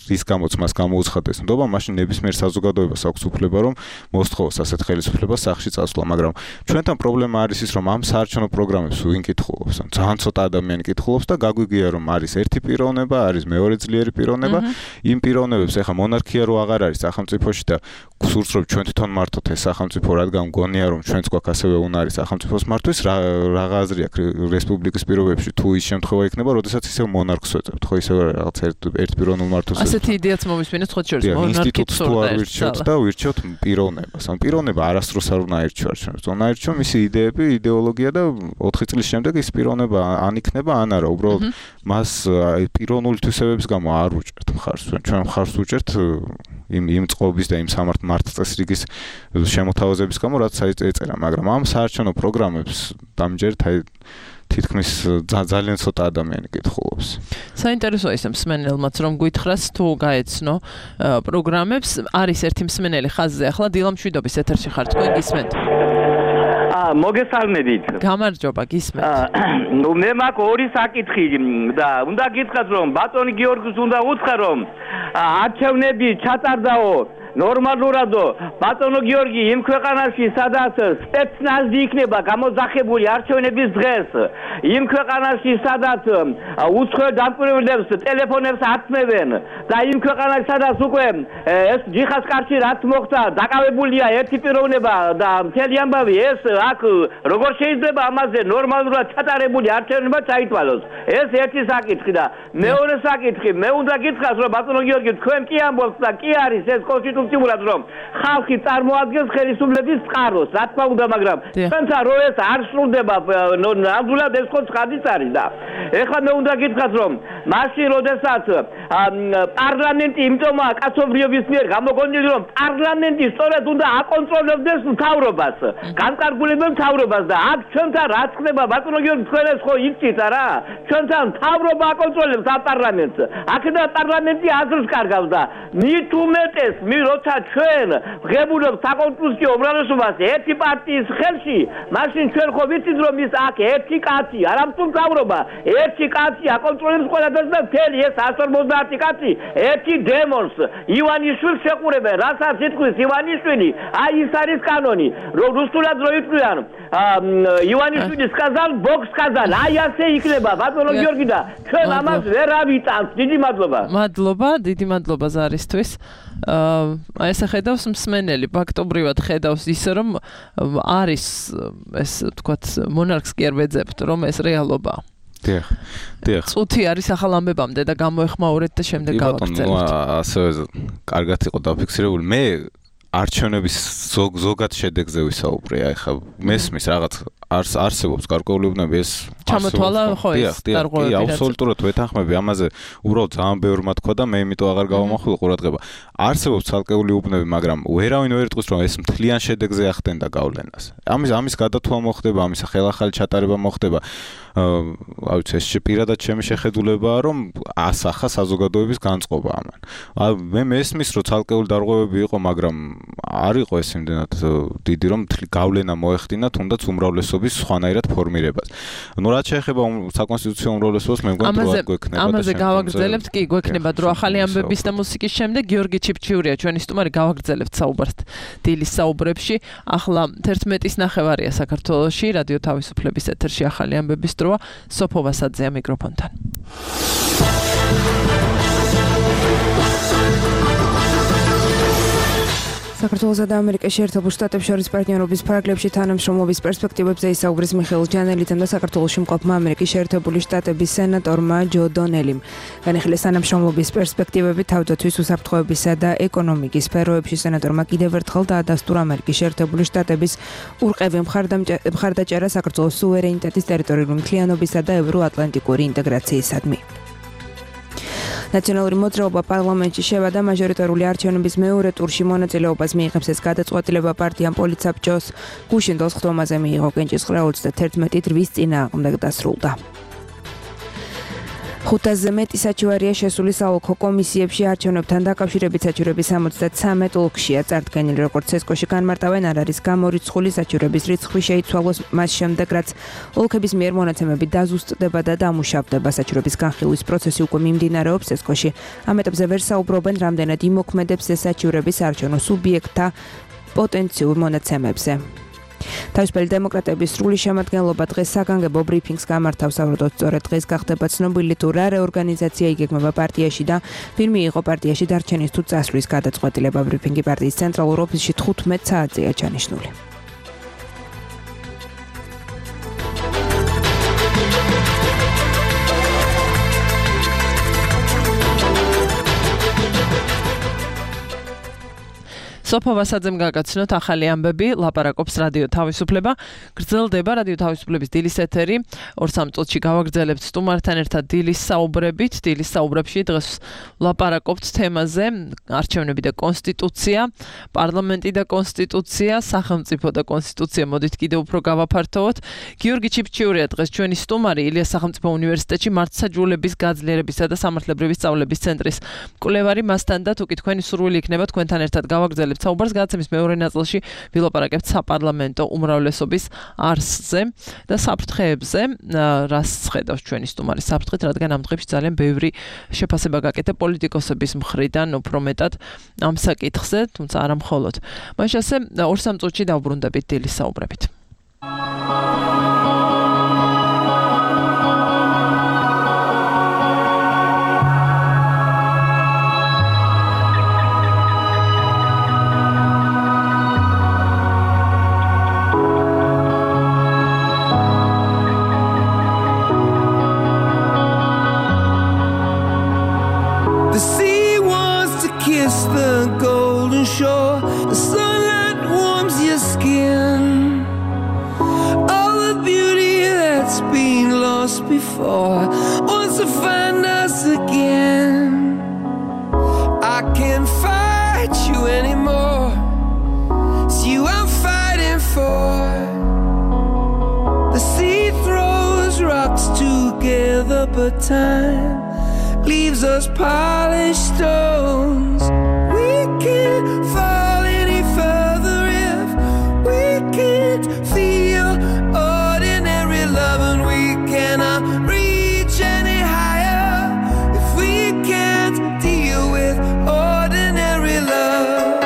რის გამოც მას გამოუცხადეს ნდობა, მაშინ ნებისმიერ საზოგადოებას აქვს უფლება, რომ მოსთხოვოს ასეთ ხელისუფლებას სახლში წასვლა, მაგრამ ჩვენთან პრობლემა არის ის, რომ ამ საარჩევნო პროგრამებს ვინ კითხულობს, ძალიან ცოტა ადამიანი კითხულობს და გაგვიგია, რომ არის ერთი პიროვნება, არის მეორე ძლიერი პიროვნება. იმ პიროვნებებს ახლა მონარქია რო აღარ არის სახელმწიფოში და გსურს რომ ჩვენ თვითონ მართოთ ეს სახელმწიფო, რადგან მგონია რომ ჩვენც გვაქვს ასევე უნარი სახელმწიფოს მართვის, რაღა აზრი აქვს რესპუბლიკის პირობებში, თუ ის შემთხვევა იქნება, როდესაც ისევ მონარქს ვეწევთ, ხო ისევ რაღაც ერთ პიროვნულ მართვას. ასეთი იდეაც მომისმინეთ სხვა შორის მონარქიის თუ არ ვირჩევთ და ვირჩევთ პიროვნებას. ან პიროვნება არასდროს არ უნდა აირჩიო ჩვენს. უნდა აირჩიო მისი იდეები, იდეოლოგია და ოთხი წლის შემდეგ ის პიროვნება ან იქნება, ან არა. უბრალოდ მას პიროვნული თვისებების გამო არ უჭერთ მხარს. ჩვენ მხარს უჭერთ იმ იმ წყობის და იმ სამართ მართწესრიგის შემოთავაზების გამო, რაც ეწერა, მაგრამ ამ საარჩევნო პროგრამებს დამჯერთ აი თითქმის ძალიან ცოტა ადამიანი კითხულობს. საინტერესოა ის მსმენელმაც რომ გითხრას თუ გაეცნო პროგრამებს, არის ერთი მსმენელი ხაზზე, ახლა დილამშვიდობის ეთერში ხარ, თქვენ გისმენთ? აა მოგესალმებით. გამარჯობა, გისმენთ. ნუ მე მაქვს ორი საკითხი და უნდა გითხრათ რომ ბატონი გიორგის უნდა უთხრა რომ არჩევნები ჩატარდაო ნორმალურადო ბატონო გიორგი იმ ქვეყანაში სადაც სპეცნაზი იქნება გამოძახებული არჩევნების დღეს, იმ ქვეყანაში სადაც უცხოელ დამკვირვებლებს ტელეფონებს აცმევენ და იმ ქვეყანაში სადაც უკვე ეს ჯიხას კარში რაც მოხდა, დაკავებულია ერთი პიროვნება და მთელი ამბავი, ეს აქ როგორ შეიძლება ამაზე ნორმალურად ჩატარებული არჩევნები ჩაითვალოს. ეს ერთი საკითხი და მეორე საკითხი, მე უნდა გითხრას რომ ბატონო გიორგი თქვენ კი ამბობთ და კი არის ეს კონსტიტუციურად რომ ხალხი წარმოადგენს ხელისუფლების წყაროს, რა თქმა უნდა, მაგრამ ჩვენთან რო ეს არ სრულდება, ნამდვილად ეს ხო ცხადიც არის და ეხლა მე უნდა გითხრათ რომ მაშინ როდესაც პარლამენტი იმტომა კაცობრიობის მიერ გამოგონილი რომ პარლამენტი სწორედ უნდა აკონტროლებდეს მთავრობას, განკარგულებელ მთავრობას და აქ ჩვენთან რა ხდება ბატონო გიორგი, თქვენ ეს ხო იცით არა? ჩვენთან მთავრობა აკონტროლებს ამ პარლამენტს. აქედან პარლამენტი აზრს კარგავს და მით უმეტეს მი როცა ჩვენ ვღებულობთ საკონსტიტუციო უმრავლესობას ერთი პარტიის ხელში, მაშინ ჩვენ ხო ვიცით რომ ის აქ ერთი კაცი, არა თუ მთავრობა, ერთი კაცი აკონტროლებს ყველაფერს და მთელი ეს εκατს ორმოცდაათი კაცი ერთი დემონს ივანიშვილს შეყურებენ. რასაც იტყვის ივანიშვილი, აი ის არის კანონი. რომ რუსულად რო იტყვიან ივანიშვილის сказал, Бог сказал, აი ასე იქნება ბატონო გიორგი და ჩვენ ამას ვერ ავიტანთ. დიდი მადლობა. მადლობა, დიდი მადლობა ზარისთვის. აა ესე ხედავს მსმენელი, ფაქტობრივად ხედავს ისე რომ არის ეს თქვათ მონარქს კი არ ვეძებთ, რომ ეს რეალობაა. დიახ. დიახ. წუთი არის ახალ ამბებამდე და გამოეხმაურეთ და შემდეგ გავაგრძელებთ. ბატონო, ასევე კარგად იყო დაფიქსირებული. მე არჩევნების ზოგ ზოგად შედეგზე ვისაუბრე, აი ხა მესმის რაღაც არს არსებობს გარკვეული უბნები ეს ჩამოთვალა ხო ეს გარკვეული კი აბსოლუტურად ვეთანხმები ამაზე უბრალოდ ძალიან ბევრი მათქვა და მე იმიტომ აღარ გავამახვილ ყურადღება არსებობს ცალკეული უბნები მაგრამ ვერავინ ვერ იტყვის რომ ეს მთლიან შედეგზე ახდენდა გავლენას ამის ამის გადათვალა მოხდება ამის ხელახალი ჩატარება მოხდება აა ვიცი ეს პირადად ჩემი შეხედულებაა რომ ასახა საზოგადოების განწყობა ამან მე მესმის რომ ცალკეული დარღვევები იყო მაგრამ არ იყო ეს იმდენად დიდი რომ გავლენა მოეხდინა თუნდაც უმრავლესობის სხვანაირად ფორმირებას ნუ რაც შეეხება საკონსტიტუციო უმრავლესობას მე მგონი რომ გვექნება და ამაზე გავაგრძელებთ კი გვექნება დრო ახალი ამბების და მუსიკის შემდეგ გიორგი ჩიფჩიურია ჩვენი სტუმარი გავაგრძელებთ საუბართ დილის საუბრებში ახლა თერთმეტის ნახევარია საქართველოში რადიო თავისუფლების ეთერში ახალი ამბების დროა სოფო ვასაძეა მიკროფონთან საქართველოსა და ამერიკის შეერთებულ შტატებს შორის პარტნიორობის ფარგლებში თანამშრომლობის პერსპექტივებზე ისაუგრის მიხეილ ჯანელიძემ და საქართველოში მყოფმა ამერიკის შეერთებული შტატების სენატორმა ჯო დონელიმ. განიხილეს თანამშრომლობის პერსპექტივები თავდაცვის უსაფრთხოებისა და ეკონომიკის სფეროებში სენატორმა კიდევ ერთხელ დაადასტურა ამერიკის შეერთებული შტატების ურყევი მხარდაჭერა საქართველოს სუვერენიტეტის ტერიტორიული მთლიანობისა და ევროატლანტიკური ინტეგრაციისადმი. ნაციონალური მოძრაობა პარლამენტში შევადა მაჟორიტარული არჩევნების მეორე ტურში მონაწილეობას მიიღებს ეს გადაწყვეტილება პარტიამ პოლიცაბჭოს გუშინ თოთხმეტზე მიიღო კენჭისყრა ოცდათერთმეტი თვის წინააღმდეგ დასრულდა. ხუთასზე მეტი საჩივარია შესული საოლქო კომისიებში არჩევნებთან დაკავშირებით საჩივრების სამოცდათრამეტ ოლქშია წარდგენილი როგორც ცესკოში განმარტავენ არ არის გამორიცხული საჩივრების რიცხვი შეიცვალოს მას შემდეგ რაც ოლქების მიერ მონაცემები დაზუსტდება და დამუშავდება საჩივრების განხილვის პროცესი უკვე მიმდინარეობს ცესკოში ამ ეტაპზე ვერ საუბრობენ რამდენად იმოქმედებს ეს საჩივრების არჩევნო სუბიექტთა პოტენციურ მონაცემებზე. თავისუფალი დემოკრატების სრული შემადგენლობა დღეს საგანგებო ბრიფინგს გამართავს საერთოდ სწორედ დღეს გახდება ცნობილი თუ რა რეორგანიზაცია იგეგმება პარტიაში და ვინ მიიღო პარტიაში დარჩენის თუ წასვლის გადაწყვეტილება ბრიფინგი პარტიის ცენტრალურ ოფისში თხუთმეტ საათზეა ჩანიშნული. სოფო ვასაძემ გაგაცნოთ ახალი ამბები, ლაპარაკობს რადიო თავისუფლება, გრძელდება რადიო თავისუფლების დილის ეთერი, ორ-სამ წუთში გავაგრძელებთ სტუმართან ერთად დილის საუბრებით, დილის საუბრებში დღეს ლაპარაკობთ თემაზე, არჩევნები და კონსტიტუცია, პარლამენტი და კონსტიტუცია, სახელმწიფო და კონსტიტუცია, მოდით კიდევ უფრო გავაფართოვოთ. გიორგი ჩიფჩიურია დღეს ჩვენი სტუმარი, ილიას სახელმწიფო უნივერსიტეტში მართლმსაჯულების გაძლიერებისა და სამართლებრივი სწავლების ცენტრის მკვლევარი, მასთან და თუ კი თქვენი სურვილი იქნება თქვენთან ერთად გავაგრძელებთ საუბარს გადაცემის მეორე ნაწილში ვილაპარაკებთ საპარლამენტო უმრავლესობის არსზე და საფრთხეებზე, რას ხედავს ჩვენი სტუმარი საფრთხით, რადგან ამ დღეებში ძალიან ბევრი შეფასება გაკეთა პოლიტიკოსების მხრიდან, უფრო მეტად ამ საკითხზე, თუმცა არა მხოლოდ. მაშინ ასე ორ-სამ წუთში დავბრუნდებით დილის საუბრებით. Before, wants to find us again. I can't fight you anymore. It's you I'm fighting for. The sea throws rocks together, but time leaves us polished stones. We can't fall any further if we can't feel ordinary love, and we cannot reach any higher if we can't deal with ordinary love.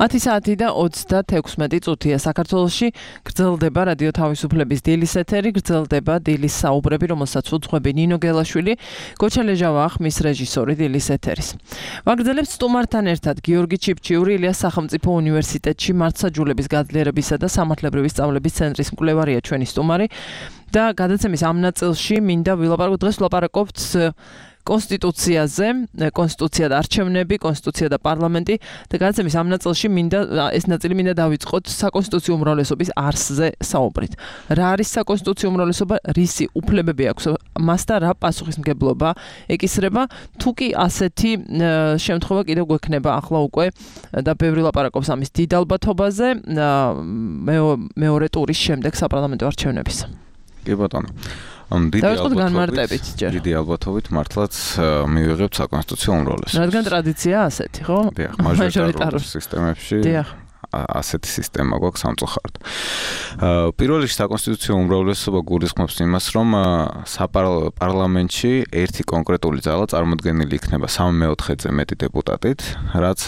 ათი საათი და ოცდათექვსმეტი წუთია საქართველოში გრძელდება რადიო თავისუფლების დილის ეთერი, გრძელდება დილის საუბრები, რომელსაც უძღვები ნინო გელაშვილი, გოჩა ლეჟავა ხმის რეჟისორი დილის ეთერის. ვაგრძელებთ სტუმართან ერთად გიორგი ჩიფჩიური, ილიას სახელმწიფო უნივერსიტეტში მართლმსაჯულების გაძლიერებისა და სამართლებრივი სწავლების ცენტრის მკვლევარია ჩვენი სტუმარი და გადაცემის ამ ნაწილში მინდა ვილაპარაკოთ დღეს ვილაპარაკობთ კონსტიტუციაზე, კონსტიტუცია და არჩევნები, კონსტიტუცია და პარლამენტი და გადაცემის ამ ნაწილში მინდა ეს ნაწილი მინდა დავიწყოთ საკონსტიტუციო უმრავლესობის არსზე საუბრით. რა არის საკონსტიტუციო უმრავლესობა, რისი უფლებები აქვს მას და რა პასუხისმგებლობა ეკისრება, თუ კი ასეთი შემთხვევა კიდევ გვექნება ახლა უკვე და ბევრი ლაპარაკობს ამის დიდ ალბათობაზე მეორე ტურის შემდეგ საპარლამენტო არჩევნების. კი ბატონო. დიდი ალბათობით, დიდი ალბათობით მართლაც მივიღებთ საკონსტიტუციო უმრავლესობას. რადგან ტრადიციაა ასეთი, ხო? დიახ, მაჟორიტარულ სისტემებში. დიახ. ასეთი სისტემა გვაქვს სამწუხაროდ. პირველ რიგში საკონსტიტუციო უმრავლესობა გულისხმობს იმას, რომ საპარლამენტში ერთი კონკრეტული ძალა წარმოდგენილი იქნება სამი მეოთხედზე მეტი დეპუტატით, რაც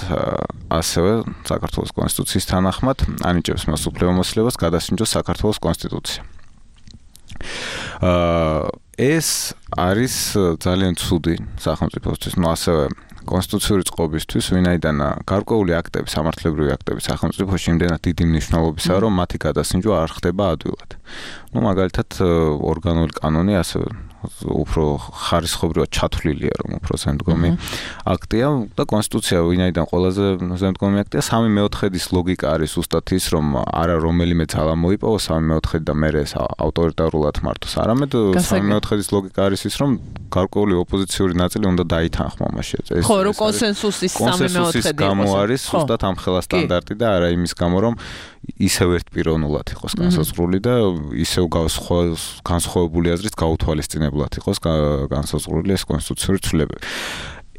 ასევე საქართველოს კონსტიტუციის თანახმად ანიჭებს მას უფლებამოსილებას გადასინჯოს საქართველოს კონსტიტუცია. ეს არის ძალიან ცუდი სახელმწიფოსთვის, ну ასევე კონსტიტუციური წყობისთვის, ვინაიდან გარკვეული აქტები, სამართლებრივი აქტები სახელმწიფოში იმდენად დიდი მნიშვნელობისაა, რომ მათი გადასინჯვა არ ხდება ადვილად. ну მაგალითად ორგანული კანონი ასევე უფრო ხარისხობრივად ჩათვლილია, რომ უფრო ზემდგომი აქტია და კონსტიტუცია ვინაიდან ყველაზე ზემდგომი აქტია, სამი მეოთხედის ლოგიკა არის ზუსტად ის, რომ არა რომელიმე ძალა მოიპოვოს სამი მეოთხედი და მერე ეს ავტორიტარულად მართოს. არამედ სამი მეოთხედის ლოგიკა არის ის, რომ გარკვეული ოპოზიციური ნაწილი უნდა დაითანხმა მასში. ეს ხო, რომ კონსენსუსის სამი მეოთხედი გამო არის ზუსტად ამ ხელა სტანდარტი და არა იმის გამო, რომ ისევ ერთპიროვნულად იყოს განსაზღვრული და ისევ განსხვავებული აზრით გაუთვალისწინებლად იყოს განსაზღვრული ეს კონსტიტუციური ცვლილებები.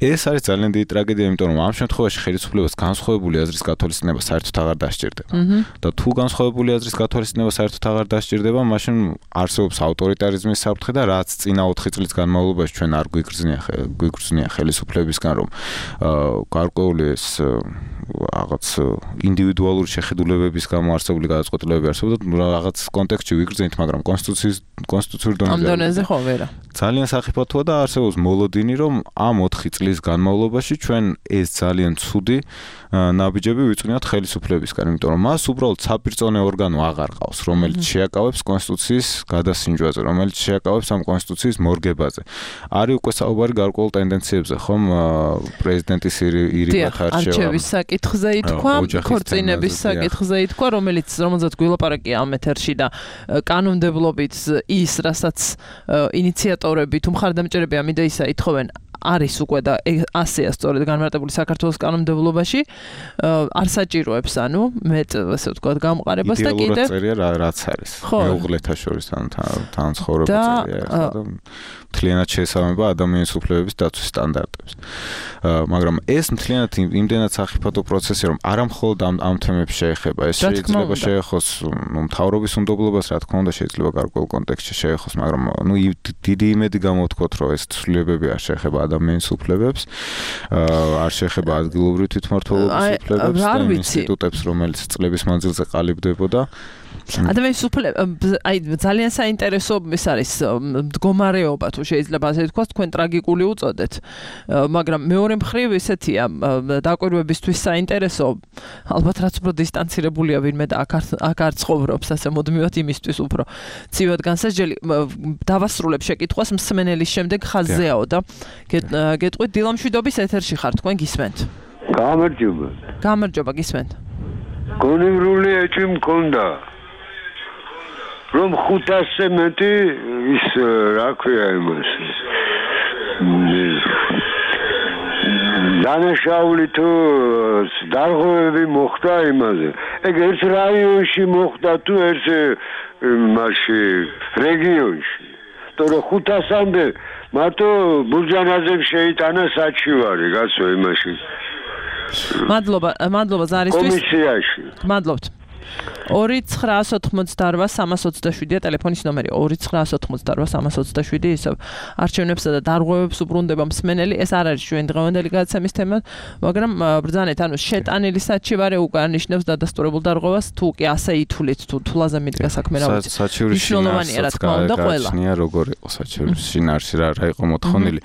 ეს არის ძალიან დიდი ტრაგედია, იმიტომ რომ ამ შემთხვევაში ხელისუფლებას განსხვავებული აზრის გათვალისწინება საერთოდ აღარ დასჭირდება. და თუ განსხვავებული აზრის გათვალისწინება საერთოდ აღარ დასჭირდება, მაშინ არსებობს ავტორიტარიზმის საფრთხე და რაც წინა ოთხი წლის განმავლობაში ჩვენ არ გვიგრძნია გვიგრძნია ხელისუფლებისგან, რომ გარკვეული ეს რაღაც ინდივიდუალური შეხედულებების გამო არსებული გადაწყვეტილებები არსებობდა, რაღაც კონტექსტში ვიგრძნით, მაგრამ კონსტიტუციის კონსტიტუციური დონეზე ხო ვერა. ძალიან სახიფათოა და არსებობს მოლოდინი, რომ ამ ოთხი წლის განმავლობაში ჩვენ ეს ძალიან ცუდი ნაბიჯები ვიწვნიათ ხელისუფლებისგან, იმიტომ რომ მას უბრალოდ საპირწონე ორგანო აღარ ყავს, რომელიც შეაკავებს კონსტიტუციის გადასინჯვაზე, რომელიც შეაკავებს ამ კონსტიტუციის მორგებაზე. არის უკვე საუბარი გარკვეულ ტენდენციებზე, ხომ პრეზიდენტის ირიბად არჩევა. საკითხზე ითქვა, ქორწინების საკითხზე ითქვა, რომელიც რომელზეც გვილაპარაკია ამ ეთერში და კანონმდებლობით ის, რასაც ინიციატორები თუ მხარდამჭერები ამ იდეისა ითხოვენ, არის უკვე და ასეა სწორედ განმარტებული საქართველოს კანონმდებლობაში, არ საჭიროებს, ანუ მეტ, ასე ვთქვათ, გამყარებას და კიდევ იდეალურად წერია რაც არის. მეუღლეთა შორის თან ცხოვრება წერია და მთლიანად შეესაბამება ადამიანის უფლებების დაცვის სტანდარტებს. მაგრამ ეს მთლიანად იმდენად სახიფათო პროცესია, რომ არა მხოლოდ ამ ამ თემებს შეეხება, ეს შეიძლება შეეხოს მთავრობის უნდობლობას, რა თქმა უნდა, შეიძლება გარკვეულ კონტექსტში შეეხოს, მაგრამ ნუ დიდი იმედი გამოვთქვათ, რომ ეს ცვლილებები არ შეეხება ადამიანის უფლებებს, არ შეეხება ადგილობრივ თვითმმართველობის უფლებებს და ინსტიტუტებს, რომელიც წლების მანძილზე ყალიბდებოდა. ადამიანის უფლებები, აი ძალიან საინტერესო ის არის მდგომარეობა, თუ შეიძლება ასე ვთქვათ, თქვენ ტრაგიკული უწოდეთ, მაგრამ მეორე მხრივ ესეთია დაკვირვებისთვის საინტერესო, ალბათ რაც უფრო დისტანცირებულია ვინმე და აქ არ ცხოვრობს, ასე მოდმივად იმისთვის უფრო ცივად განსაჯელი. დავასრულებ შეკითხვას მსმენელის შემდეგ ხაზზეაო და გეტყვით დილამშვიდობის ეთერში ხარ, თქვენ გისმენთ? გამარჯობა. გამარჯობა, გისმენთ. გონივრული ეჭვი მქონდა. რომ ხუთასზე მეტი ის რა ქვია იმას დანაშაული თუ დარღვევები მოხდა იმაზე. ეგ ერთ რაიონში მოხდა თუ ერთ მასში რეგიონში. თორე ხუთასამდე მარტო ბურჯანაძემ შეიტანა საჩივარი, გასო იმაში. მადლობა, მადლობა ზარისთვის. კომისიაში. მადლობთ. ორი ცხრაას ოთხმოცდაორვა სამას ოცდაშვიდია ტელეფონის ნომერი ორი ცხრაას ოთხმოცდაორვა სამას ოცდაშვიდი ისევ არჩევნებსა და დარღვევებს უბრუნდება მსმენელი ეს არ არის ჩვენ დღევანდელი გადაცემის თემა მაგრამ ბრძანეთ ანუ შეტანილი საჩივარე უკვე ნიშნავს დადასტურებულ დარღვევას თუ კი ასე ითვლით თუ თულაზე მიდგა საქმე რა ვიცი საჩივრის შინაარსი რა თქმა უნდა ყველა როგორ იყო საჩივრის შინაარსი რა რა იყო მოთხოვნილი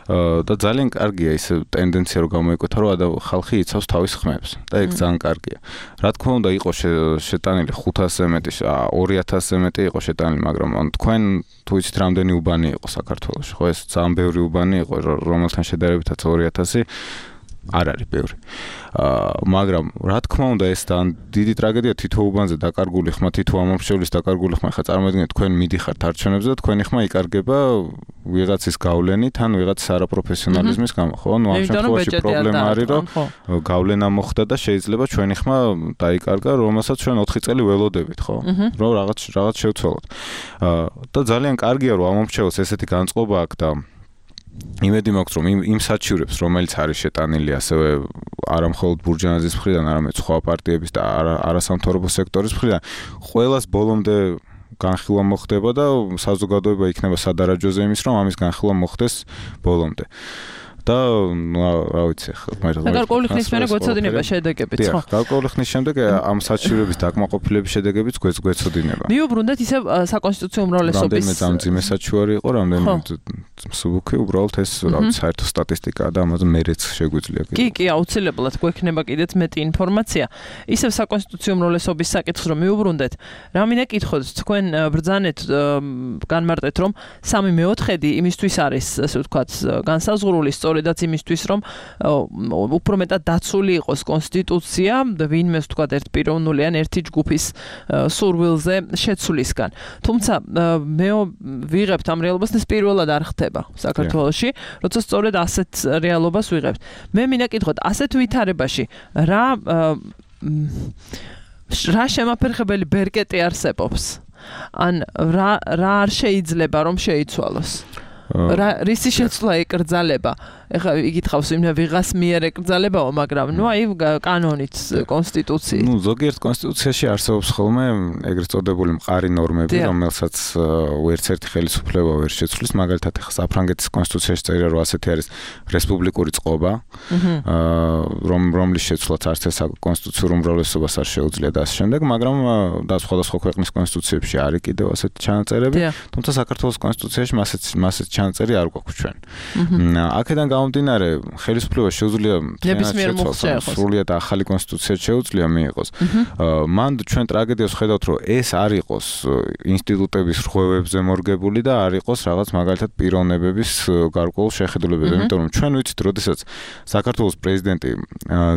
და ძალიან კარგია ის ტენდენცია რომ გამოიკვეთა რომ ხალხი იცავს თავის ხმებს და ეგ ძალიან კარგია. რა თქმა უნდა იყო შეტანილი ხუთასზე მეტი ორი ათასზე მეტი იყო შეტანილი მაგრამ თქვენ თუ იცით რამდენი უბანი იყო საქართველოში ხო ეს ძალიან ბევრი უბანი იყო რომელთან შედარებითაც ორი ათასი არ არის ბევრი. აა მაგრამ რა თქმა უნდა ეს ძალიან დიდი ტრაგედია თითო უბანზე დაკარგული ხმა თითო ამომრჩევლის დაკარგული ხმა ხა წარმოიდგინეთ თქვენ მიდიხართ არჩევნებზე და თქვენი ხმა იკარგება ვიღაცის გავლენით ან ვიღაცის არაპროფესიონალიზმის გამო ხო ნუ ამ შემთხვევაში პრობლემა არის რომ გავლენა მოხდა და შეიძლება ჩვენი ხმა დაიკარგა რომელსაც ჩვენ ოთხი წელი ველოდებით ხო რომ რაღაც რაღაც შევცვალოთ. აა და ძალიან კარგია რომ ამომრჩეველს ესეთი განწყობა აქვს და იმედი მაქვს რომ იმ იმ საჩივრებს რომელიც არის შეტანილი ასევე არა მხოლოდ ბურჯანაძის მხრიდან არამედ სხვა პარტიების და არასამთავრობო სექტორის მხრიდან ყველას ბოლომდე განხილვა მოხდება და საზოგადოება იქნება სადარაჯოზე იმის რომ ამის განხილვა მოხდეს ბოლომდე და რა ვიცი ხა მე გარკვეული ხნის მერე გვეცოდინება შედეგებიც ხო გარკვეული ხნის შემდეგ ამ საჩივრების დაკმაყოფილების შედეგებიც გვეცოდინება მიუბრუნდეთ ისე საკონსტიტუციო უმრავლესობის რამდენიმე ძამძიმე საჩივარი იყო რამდენიმე მსუბუქი უბრალოდ ეს რა ვიცი საერთო სტატისტიკაა და ამაზე მერეც შეგვიძლია კი კი აუცილებლად გვექნება კიდეც მეტი ინფორმაცია ისევ საკონსტიტუციო უმრავლესობის საკითხს რომ მიუბრუნდეთ რა მინდა კითხოთ თქვენ ბრძანეთ განმარტეთ რომ სამი მეოთხედი იმისთვის არის ასე ვთქვათ განსაზღვრული სწორედაც იმისთვის რომ უფრო მეტად დაცული იყოს კონსტიტუცია ვინმე ვთქვათ ერთ პიროვნული ან ერთი ჯგუფის სურვილზე შეცვლისგან თუმცა მე ვიღებთ ამ რეალობას ეს პირველად არ ხდება საქართველოში როცა სწორედ ასეთ რეალობას ვიღებთ მე მინდა კითხოთ ასეთ ვითარებაში რა რა შემაფერხებელი ბერკეტი არსებობს ან რა რა არ შეიძლება რომ შეიცვალოს რა რისი შეცვლა ეკრძალება ეხლა იგითხავს იმ ვიღას მიერ ეკრძალებაო მაგრამ ნუ აი კანონით კონსტიტუციით ნუ ზოგიერთ კონსტიტუციაში არსებობს ხოლმე ეგრეთ წოდებული მყარი ნორმები რომელსაც ვერც ერთი ხელისუფლება ვერ შეცვლის მაგალითად ეხლა საფრანგეთის კონსტიტუციაში წერია რომ ასეთი არის რესპუბლიკური წყობა რომ რომლის შეცვლაც არც ეს კონსტიტუციურ უმრავლესობას არ შეუძლია და ასე შემდეგ მაგრამ და სხვადასხვა ქვეყნის კონსტიტუციებში არის კიდევ ასეთი ჩანაწერები თუმცა საქართველოს კონსტიტუციაში მასეც მასეც ჩანაწერი არ გვაქვს ჩვენ აქედან გამომდინარე ხელისუფლებას შეუძლია სრულიად ახალი კონსტიტუცია შეუძლია მიიღოს მან ჩვენ ტრაგედიას ხედავთ რომ ეს არ იყოს ინსტიტუტების რღვევებზე მორგებული და არ იყოს რაღაც მაგალითად პიროვნებების გარკვეულ შეხედულებებზე იმიტომ რომ ჩვენ ვიცით როდესაც საქართველოს პრეზიდენტი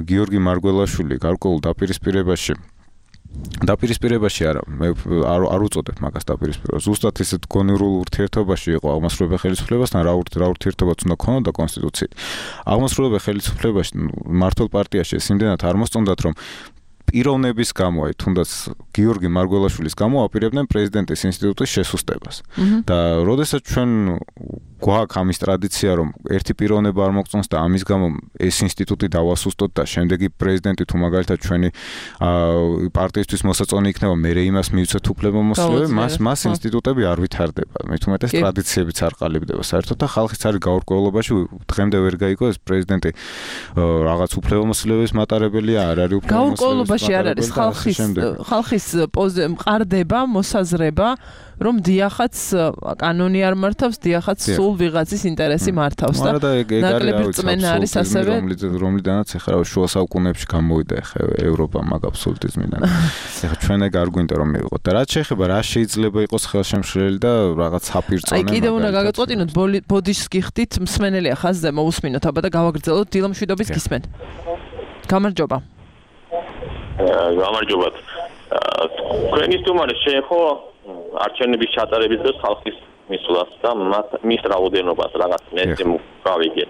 გიორგი მარგველაშვილი გარკვეულ დაპირისპირებაში დაპირისპირებაში არა მე არ არ უწოდებ მაგას დაპირისპირებას ზუსტად ისეთ გონივრულ ურთიერთობაში იყო აღმასრულებელ ხელისუფლებასთან რა რა ურთიერთობაც უნდა ქონოდა კონსტიტუციით აღმასრულებელ ხელისუფლებაში მართლ პარტიაში ეს იმდენად არ მოსწონდათ რომ პიროვნების გამო აი თუნდაც გიორგი მარგველაშვილის გამო აპირებდნენ პრეზიდენტის ინსტიტუტის შესუსტებას და როდესაც ჩვენ გვაქვს ამის ტრადიცია რომ ერთი პიროვნება არ მოგწონს და ამის გამო ეს ინსტიტუტი დავასუსტოთ და შემდეგი პრეზიდენტი თუ მაგალითად ჩვენი პარტიისთვის მოსაწონი იქნება მე იმას მივცეთ უფლებამოსილები მას მას ინსტიტუტები არ ვითარდება მე თუმეტეს ტრადიციებიც არ ყალიბდება საერთოდ და ხალხიც არის გაურკვევლობაში დღემდე ვერ გაიგო ეს პრეზიდენტი რაღაც უფლებამოსილების მატარებელია არ არის უფლებამოსილების არ არის ხალხის ხალხის მყარდება მოსაზრება რომ დიახაც კანონი არ მართავს დიახაც სულ ვიღაცის ინტერესი მართავს და ნაკლები რწმენა არის ასევე რომლიდანაც ეხლა შუა საუკუნეებში გამოვიდა ეხლა ევროპა მაგ აბსოლუტიზმიდან ეხლა ჩვენ ეგ არ გვინდა რომ მივიღოთ და რაც შეეხება რა შეიძლება იყოს ხელშემშლელი და რაღაც აპირწონება აი კიდევ უნდა გაგაწყვეტინოთ ბოდიშს გიხდით მსმენელია ხაზზე მოусმინოთ აბა და გავაგრძელოთ დილა მშვიდობის გისმენთ გამარჯობა გამარჯობათ თქვენი სტუმარი შეეხო არჩევნების ჩატარების დროს ხალხის მისვლას და მის რაოდენობას რაღაც მე გავიგე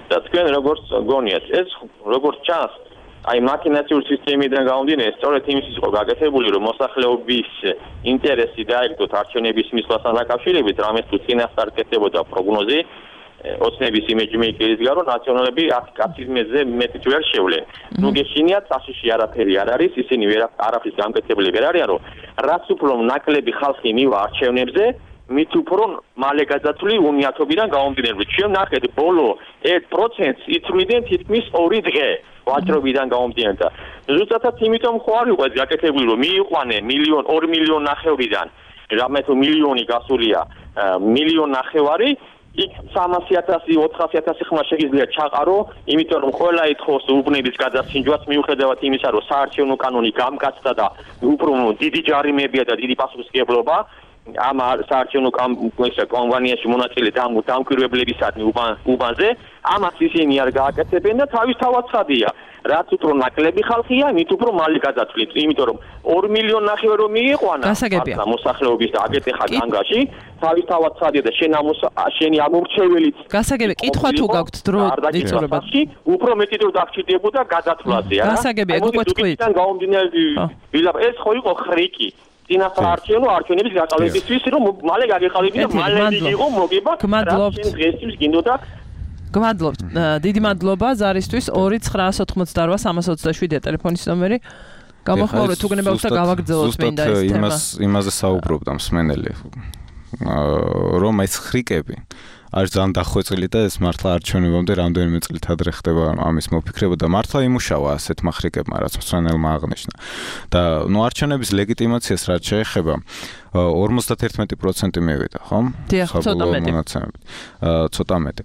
და თქვენ როგორც გონიათ ეს როგორც ჩანს აი მაკინაციური სისტემიდან გამომდინარე სწორედ იმის იყო გაკეთებული რომ მოსახლეობის ინტერესი დაიგდოთ არჩევნების მისვლასთან დაკავშირებით რამეს თუ წინასწარ კეთდებოდა პროგნოზი ოცნების იმეჯმეიკერის გარო ნაციონალები აქტივიზმზე მეტი ვერ შევლენ. ნუ გეშინიათ საშიში არაფერი არ არის, ისინი ვერ არაფრის გამკეთებელი ვერ არიან, რომ რაც უფრო ნაკლები ხალხი მივა არჩევნებზე, მით უფრო მალე გადაწული უნიათობიდან გამომდინარე. ჩვენ ნახეთ ბოლო ერთ პროცენტს იწვლიდნენ თითქმის ორი დღე ვაჭრობიდან გამომდინარე და ზუსტად იმიტომ ხო არ იყო ეს გაკეთებული, რომ მიიყვანენ მილიონ ორი მილიონ ნახევრიდან, რამე თუ მილიონი გასულია, მილიონ ნახევარი იქ სამასი ათასი ოთხასი ათასი ხმა შეიძლება ჩაყარო, იმიტომ რომ ყველა ეთხოვს უბნების გადასინჯვას მიუხედავად იმისა, რომ საარჩევნო კანონი გამკაცდა და უფრო დიდი ჯარიმებია და დიდი პასუხისმგებლობა ამ საარჩევნო კომპანიაში მონაწილე დამკვირვებლებისადმი უბანზე, ამას ისინი არ გააკეთებენ და თავისთავად ცხადია. რაც უფრო ნაკლები ხალხია, მით უფრო მალე გადაწყვეტ, იმიტომ რომ ორი მილიონ ნახევარი რომ მიიყვანა ამ მოსახლეობის და აკეთეხა განგაში, თავისთავად ცხადია და შენ ამ შენი ამორჩეველიც გასაგები, კითხვა თუ გაქვთ დრო იწურებათ. უფრო მეტი დრო დაგჭირდებოდა გადაწვლაზე, არა? გასაგები, ეგ უკვე თქვით. ეს ხო იყო ხრიკი. წინასწარ არჩევნო არჩევნების გაკალებისთვის, რომ მალე გაგეხალებინა, მალე იყო მოგება. გმადლობთ. დღესთვის გინდოდა გმადლობთ. დიდი მადლობა ზარისთვის ორი ცხრაას ოთხმოცდაოთხ სამას ოცდაშვიდია ტელეფონის ნომერი. გამოხმაურეთ თუ გნებავთ და გავაგრძელოთ მინდა ეს თემა. იმას იმაზე საუბრობდა მსმენელი. რომ ეს ხრიკები არის ძალიან დახვეწილი და ეს მართლა არჩევნებამდე რამდენიმე წლით ადრე ხდება ამის მოფიქრება და მართლა იმუშავა ასეთმა ხრიკებმა, რაც მსმენელმა აღნიშნა. და ნუ არჩევნების ლეგიტიმაციას რაც შეეხება ორმოცდაერთმეტი პროცენტი მივიდა, ხო? დიახ, ცოტა მეტი. ცოტა მეტი.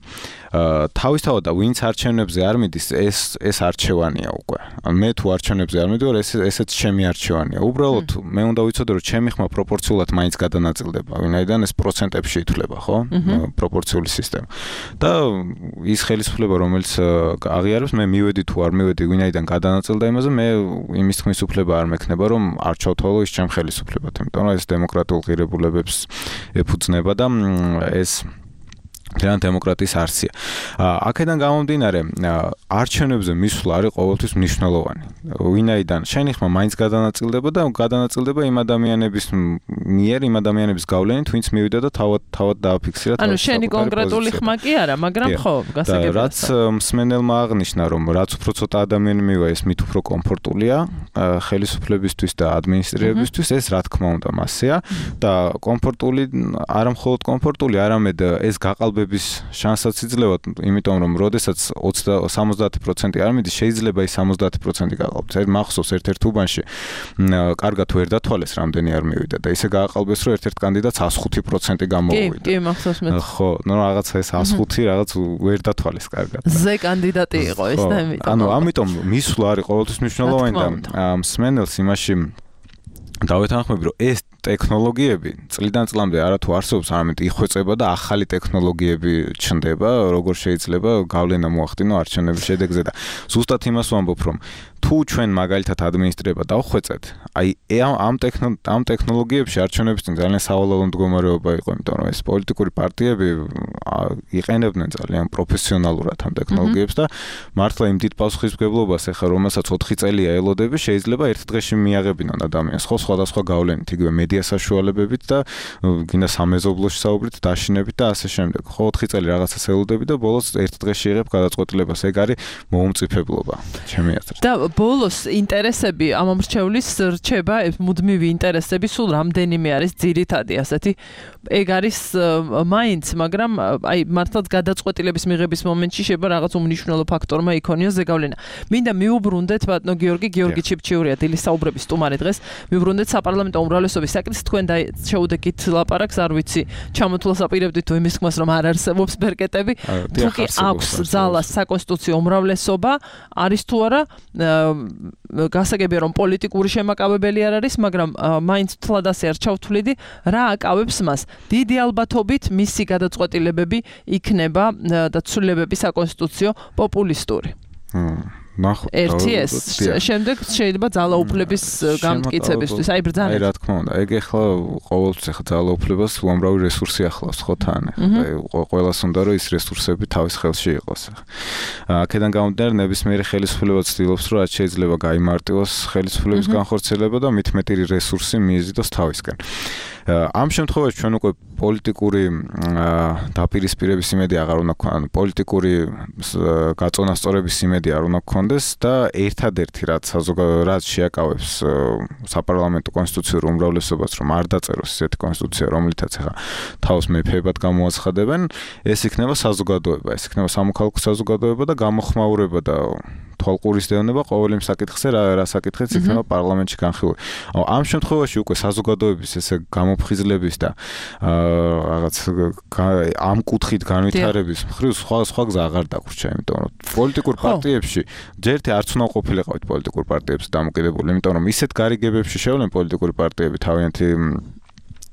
თავისთავად და ვინც არჩევნებზე არ მიდის, ეს ეს არჩევანია უკვე. მე თუ არჩევნებზე არ მიდივარ, ეს ესეც ჩემი არჩევანია. უბრალოდ მე უნდა ვიცოდე, რომ ჩემი ხმა პროპორციულად მაინც გადანაწილდება, ვინაიდან ეს პროცენტებში ითვლება, ხო? პროპორციული სისტემა. და ის ხელისუფლება, რომელიც აღიარებს, მე მივედი თუ არ მივედი, ვინაიდან გადანაწილდა იმაზე, მე იმის თქმის უფლება არ მექნება, რომ არ ჩავთვალო ის ჩემ ხელისუფლებად, იმიტომ რომ ეს დემოკრატიულ ღირებულებებს ეფუძნება და ეს ძალიან დემოკრატიის არსია. აქედან გამომდინარე, არჩევნებზე მისვლა არის ყოველთვის მნიშვნელოვანი. ვინაიდან შენი ხმა მაინც გადანაწილდება და გადანაწილდება იმ ადამიანების მიერ, იმ ადამიანების გავლენით, ვინც მივიდა და თავად თავად დააფიქსირა. ანუ შენი კონკრეტული ხმა კი არა, მაგრამ ხო, გასაგებია. რაც მსმენელმა აღნიშნა, რომ რაც უფრო ცოტა ადამიანი მივა, ეს მით უფრო კომფორტულია ხელისუფლებისთვის და ადმინისტრირებისთვის, ეს რა თქმა უნდა მასეა და კომფორტული, არა მხოლოდ კომფორტული, არამედ ეს გაყალბ შანსაც იძლევა, იმიტომ რომ როდესაც სამოცდაათი პროცენტი არ მიდის, შეიძლება ის სამოცდაათი პროცენტი გაყალბდეს. ერთ მახსოვს ერთ-ერთ უბანში კარგად ვერ დათვალეს, რამდენი არ მივიდა და ისე გააყალბეს, რომ ერთ-ერთ კანდიდატს ას ხუთი პროცენტი გამოვიდა. კი, კი, მახსოვს მე. ხო, ნუ რაღაცა ეს ას ხუთი რაღაც ვერ დათვალეს კარგად. ზე კანდიდატი იყო ეს და ამიტომ. ანუ ამიტომ მისვლა არის ყოველთვის მნიშვნელოვანი და მსმენელს იმაში დავეთანხმები, რომ ეს ტექნოლოგიები წლიდან წლამდე არათუ არსებობს, არამედ იხვეწება და ახალი ტექნოლოგიები ჩნდება, როგორ შეიძლება გავლენა მოახდინო არჩევნების შედეგზე და ზუსტად იმას ვამბობ, რომ თუ ჩვენ მაგალითად ადმინისტრირება დავხვეწეთ, აი ამ ამ ტექნოლოგიებში არჩევნების წინ ძალიან სავალალო მდგომარეობა იყო, იმიტომ რომ ეს პოლიტიკური პარტიები იყენებდნენ ძალიან პროფესიონალურად ამ ტექნოლოგიებს და მართლა იმ დიდ პასუხისმგებლობას ეხლა რომელსაც ოთხი წელია ელოდები, შეიძლება ერთ დღეში მიაღებინონ ადამიანს, ხო სხვადასხვა გავლენით, იგივე მედია საშუალებებით და გინდა სამეზობლოში საუბრით, დაშინებით და ასე შემდეგ. ხო ოთხი წელი რაღაცას ელოდები და ბოლოს ერთ დღეში იღებ გადაწყვეტილებას. ეგ არის მოუმწიფებლობა, ჩემი აზრით. და ბოლოს ინტერესები ამომრჩევლის რჩება, მუდმივი ინტერესები სულ რამდენიმე არის ძირითადი ასეთი. ეგ არის მაინც, მაგრამ აი მართლაც გადაწყვეტილების მიღების მომენტში შეიძლება რაღაც უმნიშვნელო ფაქტორმა იქონიოს ზეგავლენა. მინდა მიუბრუნდეთ ბატონო გიორგი, გიორგი ჩიფჩიურია დილის საუბრების სტუმარი დღეს. მიუბრუნდეთ საპარლამენტო უმრავლესობის საკითხს, თქვენ შეუდეკით ლაპარაკს, არ ვიცი, ჩამოთვლას აპირებდით თუ იმის ხმას რომ არ არსებობს ბერკეტები, თუ კი აქვს ძალას საკონსტიტუციო უმრავლესობა, არის თუ არა გასაგებია რომ პოლიტიკური შემაკავებელი არ არის, მაგრამ მაინც თლად ასე არ ჩავთვლიდი, რა აკავებს მას? დიდი ალბათობით მისი გადაწყვეტილებები იქნება და ცვლილებები საკონსტიტუციო პოპულისტური. ნახოთ. ერთი ეს შემდეგ შეიძლება ძალაუფლების გამტკიცებისთვის, აი ბრძანეთ. აი რა თქმა უნდა, ეგ ახლა ყოველთვის ახლა ძალაუფლებას უამრავი რესურსი ახლავს ხო თან. აი ყველას უნდა რომ ის რესურსები თავის ხელში იყოს. აქედან გამომდინარე ნებისმიერი ხელისუფლება ცდილობს რომ რაც შეიძლება გაიმარტივოს ხელისუფლების განხორციელება და მით მეტი რესურსი მიიზიდოს თავისკენ. ამ შემთხვევაში ჩვენ უკვე პოლიტიკური დაპირისპირების იმედი აღარ უნდა გვქონდეს, პოლიტიკური გაწონასწორების იმედი არ უნდა გვქონდეს და ერთადერთი რაც რაც შეაკავებს საპარლამენტო კონსტიტუციურ უმრავლესობას რომ არ დაწეროს ესეთი კონსტიტუცია, რომლითაც ახლა თავს მეფეებად გამოაცხადებენ, ეს იქნება საზოგადოება, ეს იქნება სამოქალაქო საზოგადოება და გამოხმაურება და თვალყურის დევნება ყოველ იმ საკითხზე რა რა საკითხიც იქნება პარლამენტში განხილული. ამ შემთხვევაში უკვე საზოგადოების ესე გამოფხიზლების და რაღაც ამ კუთხით განვითარების მხრივ სხვა სხვა გზა აღარ დაგვრჩა, იმიტომ რომ პოლიტიკურ პარტიებში ჯერთი არც უნდა ყოფილიყავით პოლიტიკურ პარტიებში დამოკიდებული, იმიტომ რომ ისეთ გარიგებებში შევლენ პოლიტიკური პარტიები თავიანთი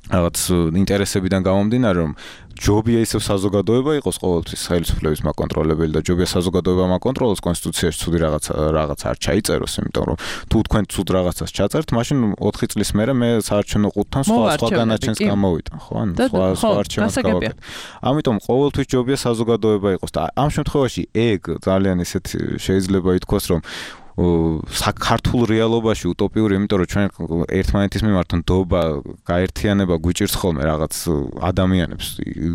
რაღაც ინტერესებიდან გამომდინარე რომ ჯობია ისევ საზოგადოება იყოს ყოველთვის ხელისუფლების მაკონტროლებელი და ჯობია საზოგადოება მაკონტროლოს კონსტიტუციაში ცუდი რაღაც რაღაც არ ჩაიწეროს, იმიტომ რომ თუ თქვენ ცუდ რაღაცას ჩაწერთ, მაშინ ოთხი წლის მერე მე საარჩევნო ყუთთან სხვა სხვა განაჩენს გამოვიტან, ხო? ანუ სხვა სხვა არჩევნებს გავაკეთე. ამიტომ ყოველთვის ჯობია საზოგადოება იყოს და ამ შემთხვევაში ეგ ძალიან ისეთ შეიძლება ითქვას რომ საქართველოს რეალობაში утоპიური, იმიტომ რომ ჩვენ ერთმანეთის მიმართ ნდობა, გაერთიანება გვიჭირს ხოლმე რაღაც ადამიანებს,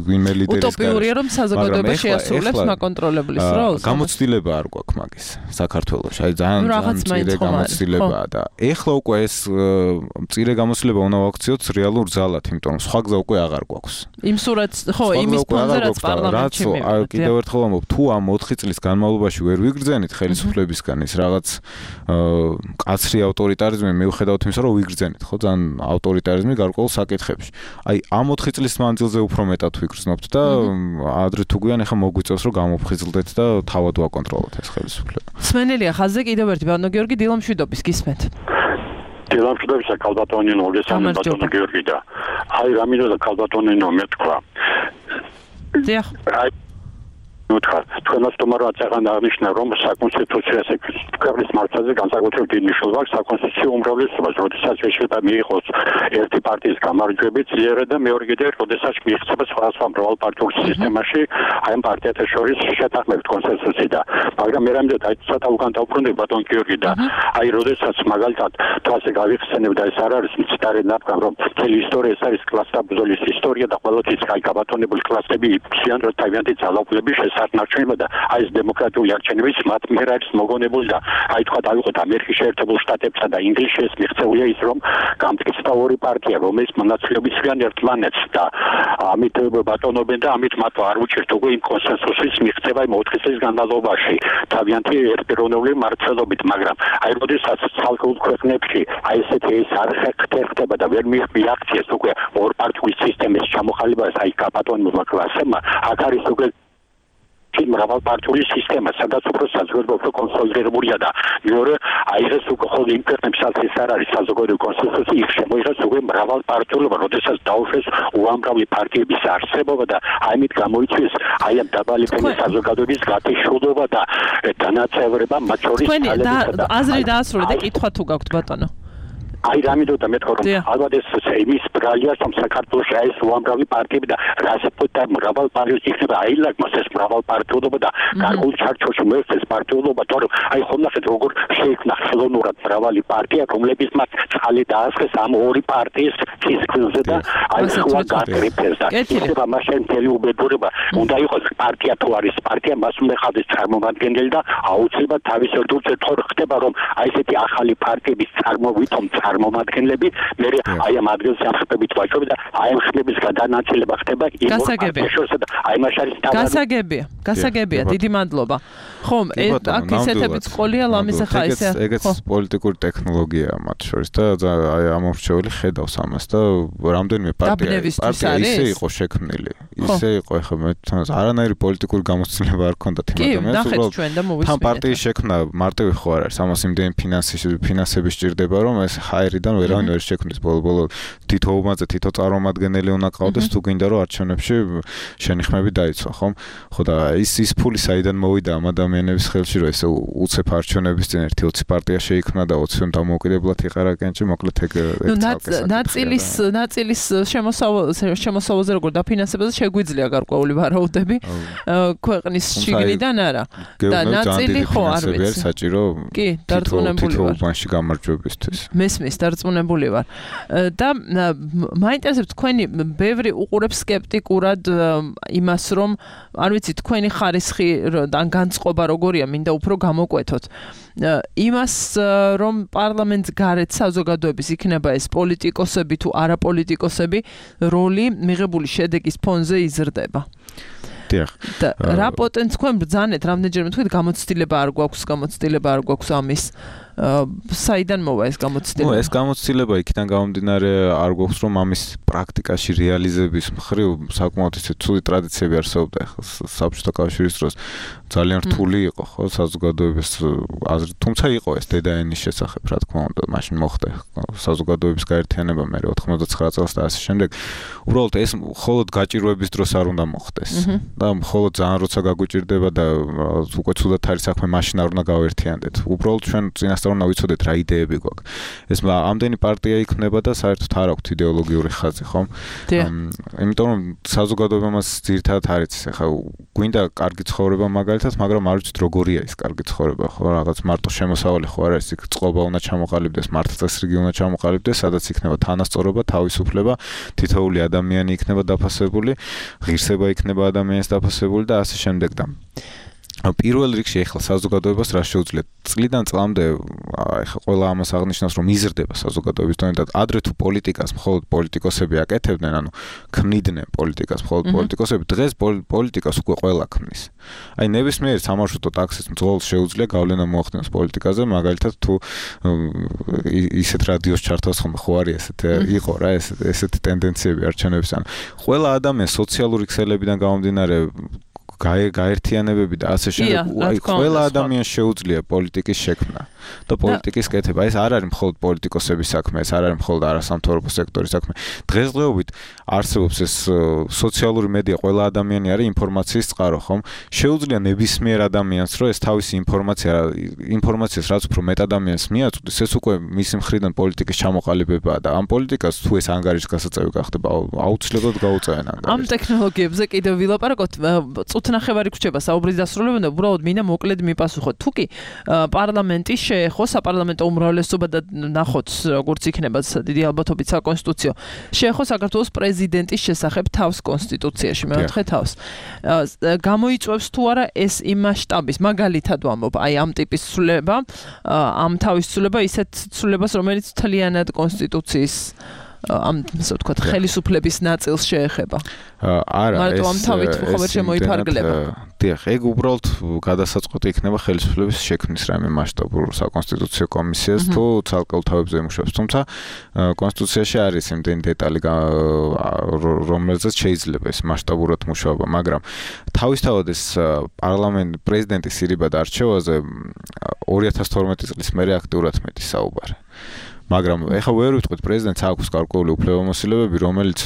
ვინმე ლიდერის გარშემო. утоპიურია რომ საზოგადოება შეასრულებს მაკონტროლებლის როლს. გამოცდილება არ გვაქვს მაგის საქართველოში. აი ძალიან ძალიან მწირე გამოცდილებაა და ეხლა უკვე ეს მწირე გამოცდილება უნდა ვაქციოთ რეალურ ძალად, იმიტომ რომ სხვა გზა უკვე აღარ გვაქვს. იმ სურათს, ხო, იმის ფონზე რაც პარლამენტში მივიდა. კიდევ ერთხელ ამბობ, თუ ამ ოთხი წლის განმავლობაში ვერ ვიგრძენით ხელისუფლებისგან ის რაღაც კაცრი ავტორიტარიზმი მიუხედავად იმისა, რომ ვიგრძენით, ხო, ძალიან ავტორიტარიზმი გარკვეულ საკითხებში. აი, ამ ოთხი წლის მანძილზე უფრო მეტად ვიგრძნობთ და ადრე თუ გვიან ახლა მოგვიწევს, რომ გამოფხიზლდეთ და თავად ვაკონტროლოთ ეს ხელისუფლება. სმენელია ხაზზე კიდევ ერთი ბატონო გიორგი დილამშვიდობის გისმენთ. დილამშვიდობისა კალბატონინო, გესალმებით ბატონო გიორგი და აი რა მინდა კალბატონინო მეთქვა. დიახ. ნუთხარ თქვენს თომარად აღარ აღნიშნა რომ საკონსტიტუციო ქვეყნის მართლაზე განსაკუთრებით დიდი მნიშვნელობა აქვს საკონსტიტუციო უმრავლესობას, როდესაც შეიძლება მიიღოს ერთი პარტიის გამარჯვებით ძლიერად და მეორე კიდევ როდესაც მიიღება სხვადასხვა მრავალპარტიულ სისტემაში აი ამ პარტიათა შორის შეთანხმებით კონსენსუსი და მაგრამ მე რამე და ცოტა უკან დავბრუნდი ბატონ გიორგი და აი როდესაც მაგალითად თვალზე გავიხსენებ და ეს არ არის მცდარი ნაბგა რომ მთელი ისტორია ეს არის კლასთა ბრძოლის ისტორია და ყოველთვის აი გაბატონებული კლასები იფციან რომ თავიანთი ძალაუფლების არჩენება და აი ეს დემოკრატიული არჩევნების მათ მიერ არის მოგონებული და აი თქვა დავიღოთ ამერიკის შეერთებულ შტატებსა და ინგლისში მიღწეულია ის რომ გამტკიცდა ორი პარტია რომელიც მონაწილეობისგან ერთმანეთს და ამით ბატონობენ და ამით მათ არ უჭირთ უკვე იმ კონსენსუსის მიღწევა იმ ოთხი წლის განმავლობაში თავიანთი ერთპიროვნული მართლობით, მაგრამ აი როდესაც ცალკეულ ქვეყნებში აი ესეთი ეს არ ხერხდება და ვერ მიაღწიეს უკვე ორპარტიული სისტემის ჩამოყალიბებას აი გაბატონებულმა კლასებმა აქ არის უკვე მრავალპარტიული სისტემა, სადაც უფრო საზოგადოება უფრო კონსოლიდირებულია და მეორე აი ეს უკვე ხოლმე იმ ქვეყნებსაც ეს არ არის საზოგადოებრივი კონსენსუსი, იქ შემოიღეს უკვე მრავალპარტიულობა, როდესაც დაუშვეს უამრავი პარტიების არსებობა და ამით გამოიწვიეს აი ამ დაბალი ფენის საზოგადოების გათიშულობა და დანაწევრება მათ შორის თალებისა და აზრი დაასრულე და კითხვა თუ გაქვთ ბატონო. აი რამიდოდა მეთქვა რომ ალბათ ეს იმის ბრალია რომ საქართველოს აი ეს უამრავი პარტიები და რასაკვირველია მრავალ პარტიის იქნება აილაგმოს ეს მრავალ პარტიულობა და გარკვეულ ჩარჩოში მოექცეს ეს პარტიულობა, თორემ აი ხომ ნახეთ როგორ შეიქმნა ხელოვნურად მრავალი პარტია, რომლებიც მათ წყალი დაასხეს ამ ორი პარტიის ფიზიკზე და აი სხვა გაკრიფეს და ისება მაშინ მთელი უბედურება უნდა იყოს პარტია თუ არის პარტია მას უნდა ხდეს წარმომადგენელი და აუცილებლად თავის ერთგულზე თორ ხდება რომ აი ესეთი ახალი პარტიების წარმოვიდგომ წარმომადგენლები მე აი ამ ადგილზე ახსნებით ვაჭრობ და აი ამ ხმების გადანაწილება ხდება იმ პარტიაშორსა და აი მას არის გასაგებია გასაგებია დიდი მადლობა ხომ აქ ისეთებიც ყოლია ლამის ახლა ესე ეგეც პოლიტიკური ტექნოლოგიაა მათ შორის და აი ამორჩეული ხედავს ამას და რამდენიმე პარტია პარტია ისე იყო შექმნილი ისე იყო ახლა მე თვითონ არანაირი პოლიტიკური გამოცდილება არ ქონდათ იმ ადამიანს რომ თან პარტიის შექმნა მარტივი ხო არ არის ამას იმდენი ფინანსი ფინანსები სჭირდება რომ ეს აერიდან ვერავინ ვერ შექმნის ბოლო-ბოლო თითო უმაზე თითო წარმომადგენელი უნდა ყავდეს თუ გინდა რომ არჩევნებში შენი ხმები დაიცვა, ხომ? ხო და ის ის ფული საიდან მოვიდა ამ ადამიანების ხელში, რომ ესე უცებ არჩევნების წინ ერთი ოცი პარტია შეიქმნა და ოცი დამოუკიდებლად იყარა კენჭი, მოკლედ ეგ ნაწილის ნაწილის შემოსავალზე როგორ დაფინანსებაზე შეგვიძლია გარკვეული ვარაუდები ქვეყნის შიგნიდან არა და ნაწილი ხო არ ვიცი საჭირო კი დარწმუნებული ვარ თითოეულში გამარჯვებისთვის მესმის დარწმუნებული ვარ და მაინტერესებს თქვენი ბევრი უყურებს სკეპტიკურად იმას რომ არ ვიცი თქვენი ხარისხი ან განწყობა როგორია მინდა უფრო გამოკვეთოთ იმას რომ პარლამენტს გარეთ საზოგადოების იქნება ეს პოლიტიკოსები თუ არაპოლიტიკოსები როლი მიღებული შედეგის ფონზე იზრდება დიახ და რა პოტენციალს თქვენ ბრძანეთ რამდენჯერმე თქვით გამოცდილება არ გვაქვს გამოცდილება არ გვაქვს ამის საიდან მოვა ეს გამოცდილება? ნუ ეს გამოცდილება იქიდან გამომდინარე არ გვაქვს რომ ამის პრაქტიკაში რეალიზების მხრივ საკმაოდ ისე ცუდი ტრადიციები არსებობდა საბჭოთა კავშირის დროს ძალიან რთული იყო ხო საზოგადოების აზრით თუმცა იყო ეს დედაენის შესახებ რა თქმა უნდა მაშინ მოხდა საზოგადოების გაერთიანება მე ოთხმოცდათცხრა წელს და ასე შემდეგ უბრალოდ ეს მხოლოდ გაჭირვების დროს არ უნდა მოხდეს და მხოლოდ ძალიან როცა გაგვიჭირდება და უკვე ცუდად არის საქმე მაშინ არ უნდა გავერთიანდეთ უბრალოდ ჩვენ წინასწარ უნდა ვიცოდეთ რა იდეები გვაქვს. ეს ამდენი პარტია იქნება და საერთოდ არ აქვს იდეოლოგიური ხაზი, ხომ? იმიტომ რომ საზოგადოება მას ძირითადად არ იცის. ახლა გვინდა კარგი ცხოვრება მაგალითად, მაგრამ არ ვიცით როგორია ის კარგი ცხოვრება, ხო? რაღაც მარტო შემოსავალი ხო არ არის, იქ წყობა უნდა ჩამოყალიბდეს, მართლწესრიგი უნდა ჩამოყალიბდეს, სადაც იქნება თანასწორობა, თავისუფლება, თითოეული ადამიანი იქნება დაფასებული, ღირსება იქნება ადამიანის დაფასებული და ასე შემდეგ და პირველ რიგში ახლა საზოგადოებას რა შეუძლია წლიდან წლამდე ახლა ყველა ამას აღნიშნავს რომ იზრდება საზოგადოების დონე და ადრე თუ პოლიტიკას მხოლოდ პოლიტიკოსები აკეთებდნენ ანუ ქმნიდნენ პოლიტიკას მხოლოდ პოლიტიკოსები დღეს პოლიტიკას უკვე ყველა ქმნის აი ნებისმიერი სამარშრუტო ტაქსის მძღოლს შეუძლია გავლენა მოახდინოს პოლიტიკაზე მაგალითად თუ ისეთ რადიოს ჩართავს ხომ ხო არის ესეთ იყო რა ეს ესეთი ტენდენციები არჩევნების ან ყველა ადამიანს სოციალური ქსელებიდან გამომდინარე გაერთიანებები და ასე შემდეგ აი ყველა ადამიანს შეუძლია პოლიტიკის შექმნა და პოლიტიკის კეთება ეს არ არის მხოლოდ პოლიტიკოსების საქმე ეს არ არის მხოლოდ არასამთავრობო სექტორის საქმე დღესდღეობით არსებობს ეს სოციალური მედია ყველა ადამიანი არის ინფორმაციის წყარო ხომ შეუძლია ნებისმიერ ადამიანს რომ ეს თავისი ინფორმაცია ინფორმაციას რაც უფრო მეტ ადამიანს მიაწვდის ეს უკვე მისი მხრიდან პოლიტიკის ჩამოყალიბებაა და ამ პოლიტიკას თუ ეს ანგარიშის გასაწევი გახდება აუცილებლად გაუწევენ ანგარიშს ამ ტექნოლოგიებზე კიდევ ვილაპარაკოთ ნახევარი გრჩება საუბრის დასრულებამდე უბრალოდ მინდა მოკლედ მიპასუხოთ თუ კი პარლამენტი შეეხო საპარლამენტო უმრავლესობა და ნახოთ როგორც იქნება დიდი ალბათობით საკონსტიტუციო შეეხო საქართველოს პრეზიდენტის შესახებ თავს კონსტიტუციაში მეოთხე თავს გამოიწვევს თუ არა ეს იმ მასშტაბის მაგალითად ვამბობ აი ამ ტიპის ცვლილება ამ თავის ცვლილება ისეთ ცვლილებას რომელიც თლიანად კონსტიტუციის ამ ასე ვთქვათ ხელისუფლების ნაწილს შეეხება. არა, მარტო ამ თავით ხომ ვერ შემოიფარგლება. დიახ, ეგ უბრალოდ გადასაწყვეტი იქნება ხელისუფლების შექმნის რაიმე მასშტაბურ საკონსტიტუციო კომისიას თუ ცალკეულ თავებზე იმუშავებს. თუმცა კონსტიტუციაში არის იმდენი დეტალი რომელზეც შეიძლება ეს მასშტაბურად მუშაობა, მაგრამ თავისთავად ეს პარლამენტ პრეზიდენტის სირიბად არჩევაზე ორი ათას თორმეტი წლის მერე აქტიურად მეტი საუბარი. მაგრამ ეხლა ვერ ვიტყვით პრეზიდენტს აქვს გარკვეული უფლებამოსილებები, რომელიც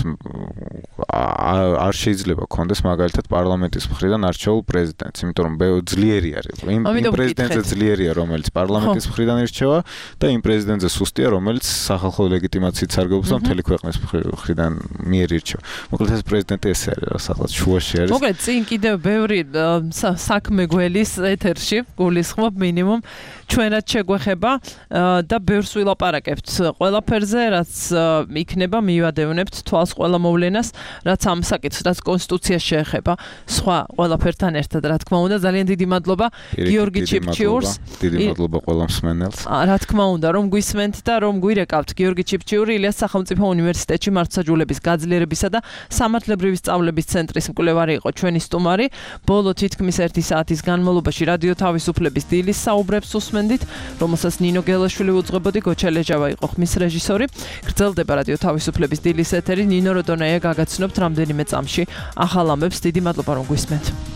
არ შეიძლება კონდეს მაგალითად პარლამენტის მხრიდან არჩეულ პრეზიდენტს, იმიტომ რომ ძლიერი არის. იმ პრეზიდენტზე ძლიერია, რომელიც პარლამენტის მხრიდან ირჩევა და იმ პრეზიდენტზე სუსტია, რომელიც სახალხო ლეგიტიმაციით სარგებლობს და მთელი ქვეყნის მხრიდან მიერ ირჩევა. მოკლედ ეს პრეზიდენტი ესე არის, რა სახელმწიფო შუაში არის. მოკლედ წინ კიდევ ბევრი საქმე გველის ეთერში, გულისხმობ მინიმუმ ჩვენად შეგვეხება და ბევრს ვილაპარაკებთ ყველაფერზე, რაც იქნება მივადევნებთ თვალს ყველა მოვლენას, რაც ამ საკითხს, რაც კონსტიტუციას შეეხება, სხვა ყველაფერთან ერთად, რა თქმა უნდა, ძალიან დიდი მადლობა გიორგი ჩიფჩიურს. დიდი მადლობა ყველა მსმენელს. რა თქმა უნდა, რომ გვისმენთ და რომ გვირეკავთ გიორგი ჩიფჩიური, ილიას სახელმწიფო უნივერსიტეტში მართლმსაჯულების გაძლიერებისა და სამართლებრივი სწავლების ცენტრის მკვლევარი იყო ჩვენი სტუმარი. ბოლო თითქმის ერთი საათის განმავლობაში რადიო თავისუფლების დილის საუბრებს უსმენდით, რომელსაც ნინო გელაშვილი უძღვებოდი, გოჩა ლეჯავა იყო ხმის რეჟისორი. გრძელდება რადიო თავისუფლების დილის ეთერი. ნინო როდონაია გაგაცნობთ რამდენიმე წამში ახალ ამბებს. დიდი მადლობა რომ გვისმენთ.